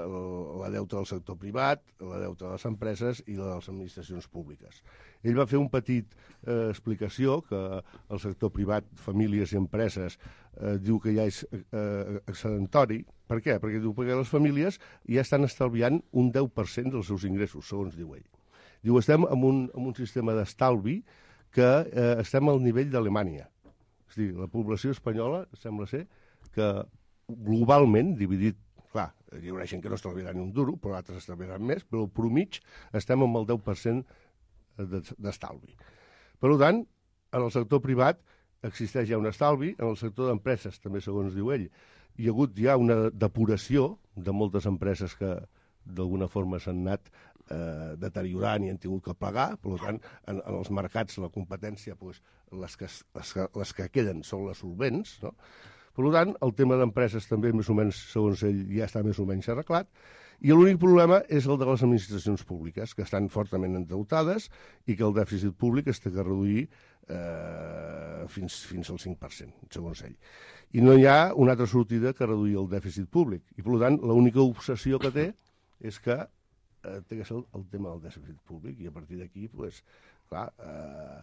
la deuta del sector privat, la deuta de les empreses i la de les administracions públiques. Ell va fer un petit eh, explicació que el sector privat, famílies i empreses, eh, diu que ja és eh, excedentori. Per què? Perquè diu que les famílies ja estan estalviant un deu per cent dels seus ingressos, segons diu ell. Diu, estem en un, en un sistema d'estalvi que eh, estem al nivell d'Alemanya. És a dir, la població espanyola sembla ser que globalment, dividit, clar, hi haurà gent que no estalviarà ni un duro, però altres estalviaran més, però el promig estem amb el deu per cent d'estalvi. Per tant, en el sector privat existeix ja un estalvi, en el sector d'empreses, també segons diu ell, hi ha hagut ja una depuració de moltes empreses que d'alguna forma s'han anat eh, deteriorant i han tingut que pagar, per tant, en, en els mercats la competència, doncs, les, que, les, que, les que queden són les solvents, no? Per tant, el tema d'empreses també, més o menys, segons ell, ja està més o menys arreglat, i l'únic problema és el de les administracions públiques, que estan fortament endeutades i que el dèficit públic es té que reduir eh, fins, fins al cinc per cent, segons ell. I no hi ha una altra sortida que reduir el dèficit públic. I, per tant, l'única obsessió que té és que eh, té que ser el, el tema del dèficit públic, i a partir d'aquí, doncs, clar, eh,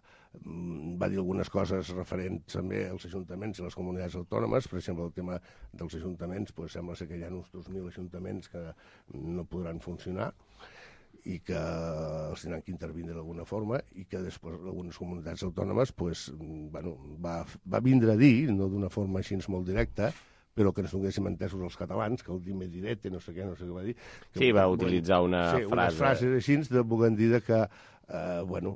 va dir algunes coses referents també als ajuntaments i les comunitats autònomes. Per exemple, el tema dels ajuntaments, doncs sembla ser que hi ha uns dos mil ajuntaments que no podran funcionar i que els tindran que intervindre d'alguna forma, i que després algunes comunitats autònomes doncs, bueno, va, va vindre a dir, no d'una forma així molt directa, però que ens donéssim entesos els catalans, que el dime direte, no sé què, no sé què va dir. Que, sí, va utilitzar una sí, frase. unes frases així, de volent dir que Uh, bueno,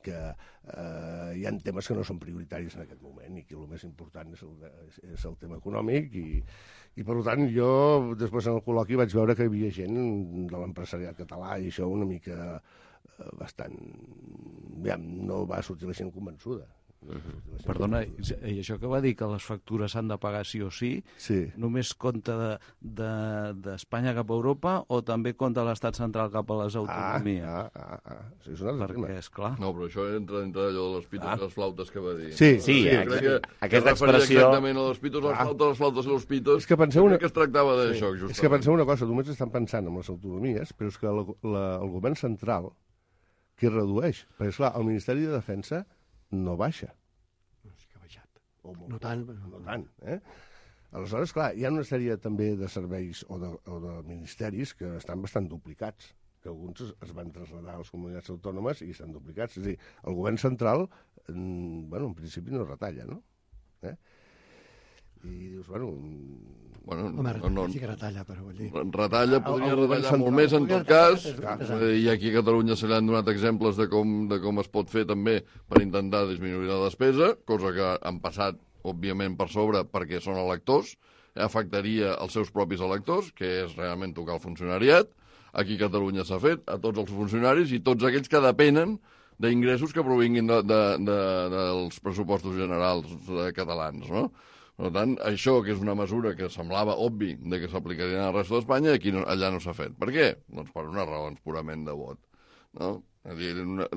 que uh, hi ha temes que no són prioritaris en aquest moment i que el més important és el, de, és, és el tema econòmic, i, i per tant jo després en el col·loqui vaig veure que hi havia gent de l'empresariat català i això una mica uh, bastant... Ja, no va sortir la gent convençuda. Uh-huh. Perdona, i això que va dir que les factures s'han de pagar sí o sí, sí. només compta d'Espanya de, de, cap a Europa o també compta l'Estat central cap a les autonomies? Ah, ah, ah, ah. Sí, és un altre Perquè, esclar... No, però això entra dintre allò de les pitos ah. i les flautes que va dir. Sí, sí, sí, sí aquesta, aquesta expressió... exactament a les pitos, les flautes, les flautes i les pitos. És que penseu una... que es tractava d'això, sí. justament. És que penseu una cosa, només estan pensant en les autonomies, però és que la, la, el govern central que redueix, perquè esclar, el Ministeri de Defensa no baixa. O no tant. No tant, eh? Aleshores, clar, hi ha una sèrie també de serveis o de, o de ministeris que estan bastant duplicats, que alguns es, es van traslladar a les comunitats autònomes i estan duplicats. És a dir, el govern central, en, bueno, en principi no retalla, no? Eh? I dius, bueno... Bueno, Home, no, no, sí que retalla, però vull dir... Retalla, podria el, el retallar central, molt més, en tot cas, i aquí a Catalunya se li han donat exemples de com, de com es pot fer també per intentar disminuir la despesa, cosa que han passat, òbviament, per sobre perquè són electors, afectaria els seus propis electors, que és realment tocar el funcionariat. Aquí a Catalunya s'ha fet a tots els funcionaris i tots aquells que depenen d'ingressos que provinguin de, de, de, dels pressupostos generals catalans, no? Per tant, això, que és una mesura que semblava obvi de que s'aplicaria a la resta d'Espanya, aquí no, allà no s'ha fet. Per què? Doncs per unes raons purament de vot. No? És dir,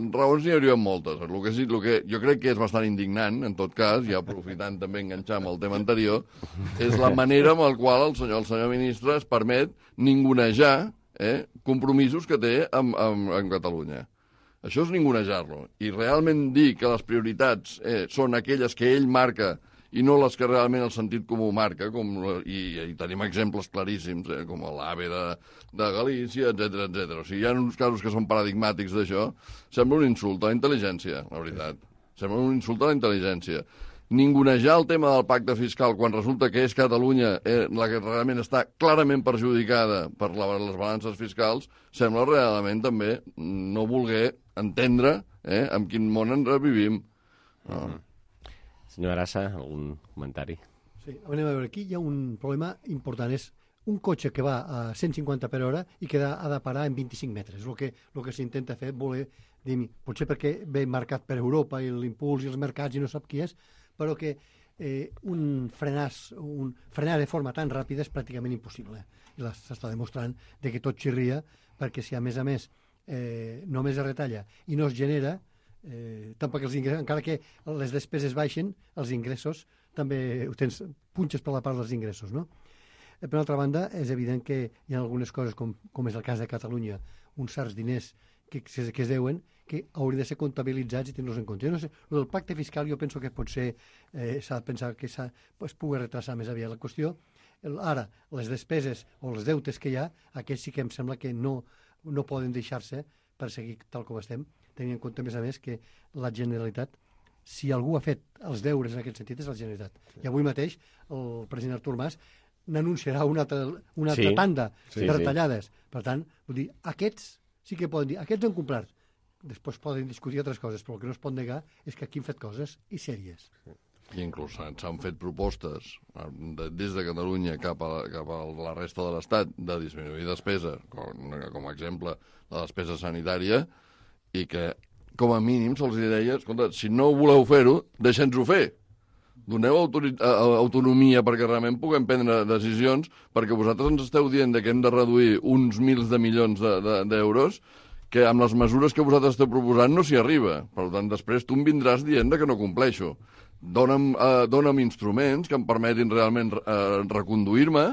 raons n'hi hauria moltes. El que, sí, el que jo crec que és bastant indignant, en tot cas, ja aprofitant també enganxar amb el tema anterior, és la manera amb la qual el senyor, el senyor ministre es permet ningunejar eh, compromisos que té amb, amb, amb Catalunya. Això és ningunejar-lo. I realment dir que les prioritats eh, són aquelles que ell marca i no les que realment el sentit comú marca, com, i, i tenim exemples claríssims, eh, com l'AVE de, de Galícia, etcètera, etcètera. O sigui, hi ha uns casos que són paradigmàtics d'això. Sembla un insult a la intel·ligència, la veritat. Sembla un insult a la intel·ligència. Ningunejar el tema del pacte fiscal quan resulta que és Catalunya eh, la que realment està clarament perjudicada per la, les balances fiscals, sembla realment també no voler entendre eh, en quin món ens vivim. No. Mm. Senyor Arassa, algun comentari? Sí, anem a veure, aquí hi ha un problema important, és un cotxe que va a cent cinquanta per hora i que ha de parar en vint-i-cinc metres. El que, el que s'intenta fer, voler dir, potser perquè ve marcat per Europa i l'impuls i els mercats i no sap qui és, però que eh, un, frenàs, un frenar de forma tan ràpida és pràcticament impossible. I s'està demostrant de que tot xirria, perquè si a més a més eh, només es retalla i no es genera, eh, tampoc els ingressos, encara que les despeses baixen, els ingressos també ho tens, punxes per la part dels ingressos, no? Per altra banda, és evident que hi ha algunes coses, com, com és el cas de Catalunya, uns certs diners que, que es deuen, que haurien de ser comptabilitzats i tenir-los en compte. Jo no sé, el del pacte fiscal jo penso que potser eh, s'ha de pensar que s'ha, es pugui retrasar més aviat la qüestió. Ara, les despeses o els deutes que hi ha, aquests sí que em sembla que no, no poden deixar-se per seguir tal com estem, tenint en compte, a més a més, que la Generalitat, si algú ha fet els deures en aquest sentit, és la Generalitat. Sí. I avui mateix el president Artur Mas n'anunciarà una altra, una altra sí. tanda sí, de retallades. Sí. Per tant, vull dir, aquests sí que poden dir, aquests han complert. Després poden discutir altres coses, però el que no es pot negar és que aquí han fet coses i sèries. I inclús s'han fet propostes de, des de Catalunya cap a, cap a la resta de l'Estat de disminuir despesa, com, com a exemple la despesa sanitària, i que com a mínim se'ls deia, escolta, si no voleu fer-ho, deixem-nos-ho fer. Doneu autonomia perquè realment puguem prendre decisions, perquè vosaltres ens esteu dient que hem de reduir uns mils de milions d'euros, de, de, que amb les mesures que vosaltres esteu proposant no s'hi arriba. Per tant, després tu em vindràs dient que no compleixo. Dona'm, eh, dona'm instruments que em permetin realment eh, reconduir-me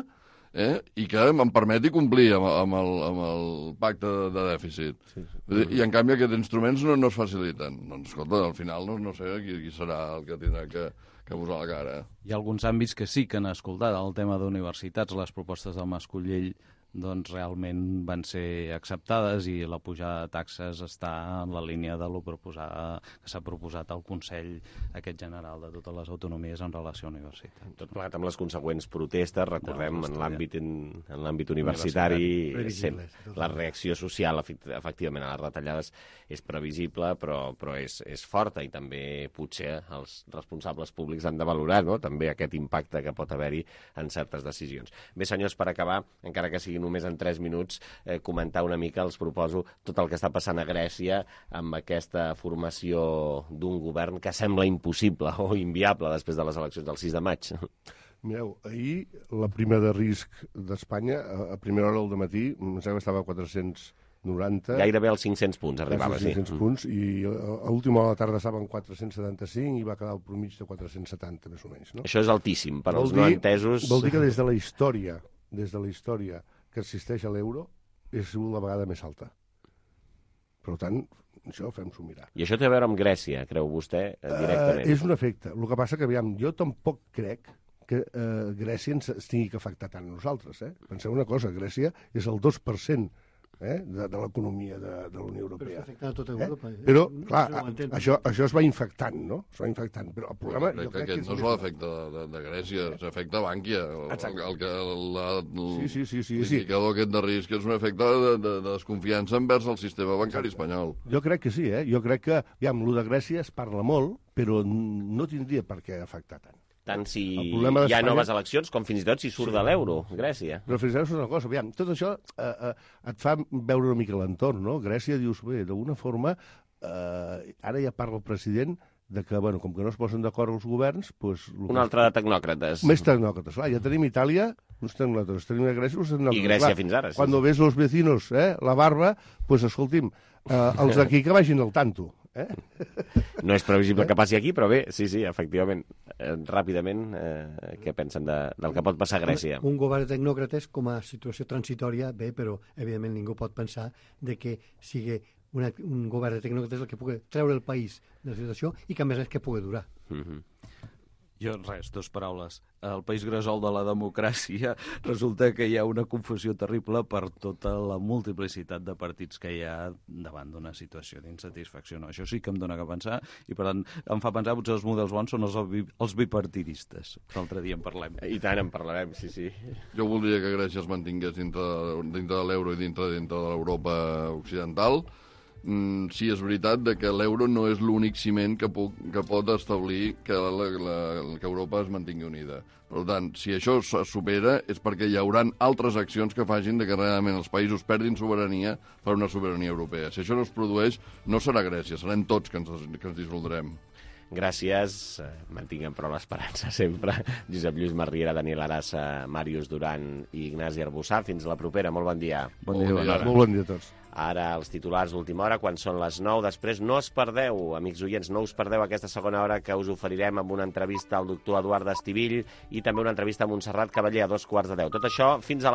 eh, i que em permeti complir amb, amb, el, amb el pacte de, de dèficit. Sí, sí. I, en canvi, aquests instruments no, no es faciliten. Doncs, escolta, al final no, no sé qui, qui serà el que tindrà que, que posar la cara. Hi ha alguns àmbits que sí que han escoltat. El tema d'universitats, les propostes del Mas-Colell, doncs realment van ser acceptades i la pujada de taxes està en la línia de lo proposat, que s'ha proposat al Consell aquest general de totes les autonomies en relació a universitat. Tot plegat amb les consegüents protestes, recordem, en l'àmbit en, en l'àmbit universitari, universitari la reacció social, efectivament, a les retallades és previsible, però, però és, és forta i també potser els responsables públics han de valorar, no?, també aquest impacte que pot haver-hi en certes decisions. Bé, senyors, per acabar, encara que sigui només en tres minuts, eh, comentar una mica, els proposo tot el que està passant a Grècia amb aquesta formació d'un govern que sembla impossible o inviable després de les eleccions del sis de maig. Mireu, ahir la prima de risc d'Espanya, a primera hora del matí, em sembla que estava a quatre-cents noranta... Gairebé als cinc-cents punts arribava, sí. cinc-cents punts, i a l'última hora de la tarda estava en quatre-cents setanta-cinc i va quedar al promig de quatre-cents setanta, més o menys. No? Això és altíssim, per als no entesos... Vol dir que des de la història, des de la història que existeix a l'euro, és la vegada més alta. Per tant, això fem-s'ho mirar. I això té a veure amb Grècia, creu vostè, directament? Uh, és un efecte. El que passa que, aviam, jo tampoc crec que uh, Grècia ens tingui que afectar tant a nosaltres. Eh? Penseu una cosa, Grècia és el dos per cent eh, de, de l'economia de, de la Unió Europea. Però s'afecta a tota Europa. Eh? Però, clar, no això, això es va infectant, no? Es va infectant. Però el problema... Crec jo crec que aquest que no és l'efecte de, de, de Grècia, s'afecta a Bànquia. El, el, el, la, el, sí, sí, sí, sí, l'indicador sí. aquest de risc és un efecte de, de, de desconfiança envers el sistema bancari espanyol. Jo crec que sí, eh? Jo crec que, aviam, lo de Grècia es parla molt, però no tindria per què afectar tant. Tant si hi ha noves eleccions com fins i tot si surt sí. de l'euro, Grècia. Però fins i tot és una cosa, aviam, tot això eh, eh, et fa veure una mica l'entorn, no? Grècia, dius, bé, d'alguna forma, eh, ara ja parla el president de que, bueno, com que no es posen d'acord els governs... Pues, un altre de tecnòcrates. Més tecnòcrates. Clar, ja tenim Itàlia, uns tecnòcrates, tenim a Grècia, uns tecnòcrates. I Grècia clar, fins ara, sí. Quan sí. ves los vecinos, eh, la barba, pues escolti'm, eh, els d'aquí que vagin al tanto. Eh? No és previsible que passi aquí, però bé, sí, sí, efectivament, eh, ràpidament, eh, què pensen de, del que pot passar a Grècia? Un, un govern de tecnòcrates com a situació transitòria, bé, però evidentment ningú pot pensar de que sigui una, un govern de tecnòcrates el que pugui treure el país de la situació i que a més és que pugui durar. Mm-hmm. Jo, res, dos paraules. Al país gresol de la democràcia resulta que hi ha una confusió terrible per tota la multiplicitat de partits que hi ha davant d'una situació d'insatisfacció. No, això sí que em dóna que pensar i, per tant, em fa pensar potser els models bons són els, els bipartidistes. L'altre dia en parlem. I tant en parlarem, sí, sí. Jo voldria que Grècia es mantingués dintre, dintre de l'euro i dintre, dintre de l'Europa occidental. Mm, sí, és veritat de que l'euro no és l'únic ciment que, puc, que pot establir que, la, la, que Europa es mantingui unida. Per tant, si això es supera és perquè hi haurà altres accions que facin de que realment els països perdin sobirania per una sobirania europea. Si això no es produeix, no serà Grècia, serem tots que ens, que ens dissoldrem. Gràcies, mantinguem però l'esperança sempre. Josep Lluís Marriera, Daniel Arassa, Màrius Duran i Ignasi Arbussà. Fins la propera, molt bon dia. Bon dia, bon dia. Molt bon dia a tots. Ara els titulars d'última hora, quan són les nou. Després no es perdeu, amics oients, no us perdeu aquesta segona hora que us oferirem amb una entrevista al doctor Eduard Estivill i també una entrevista a Montserrat Cavaller a dos quarts de deu. Tot això fins a les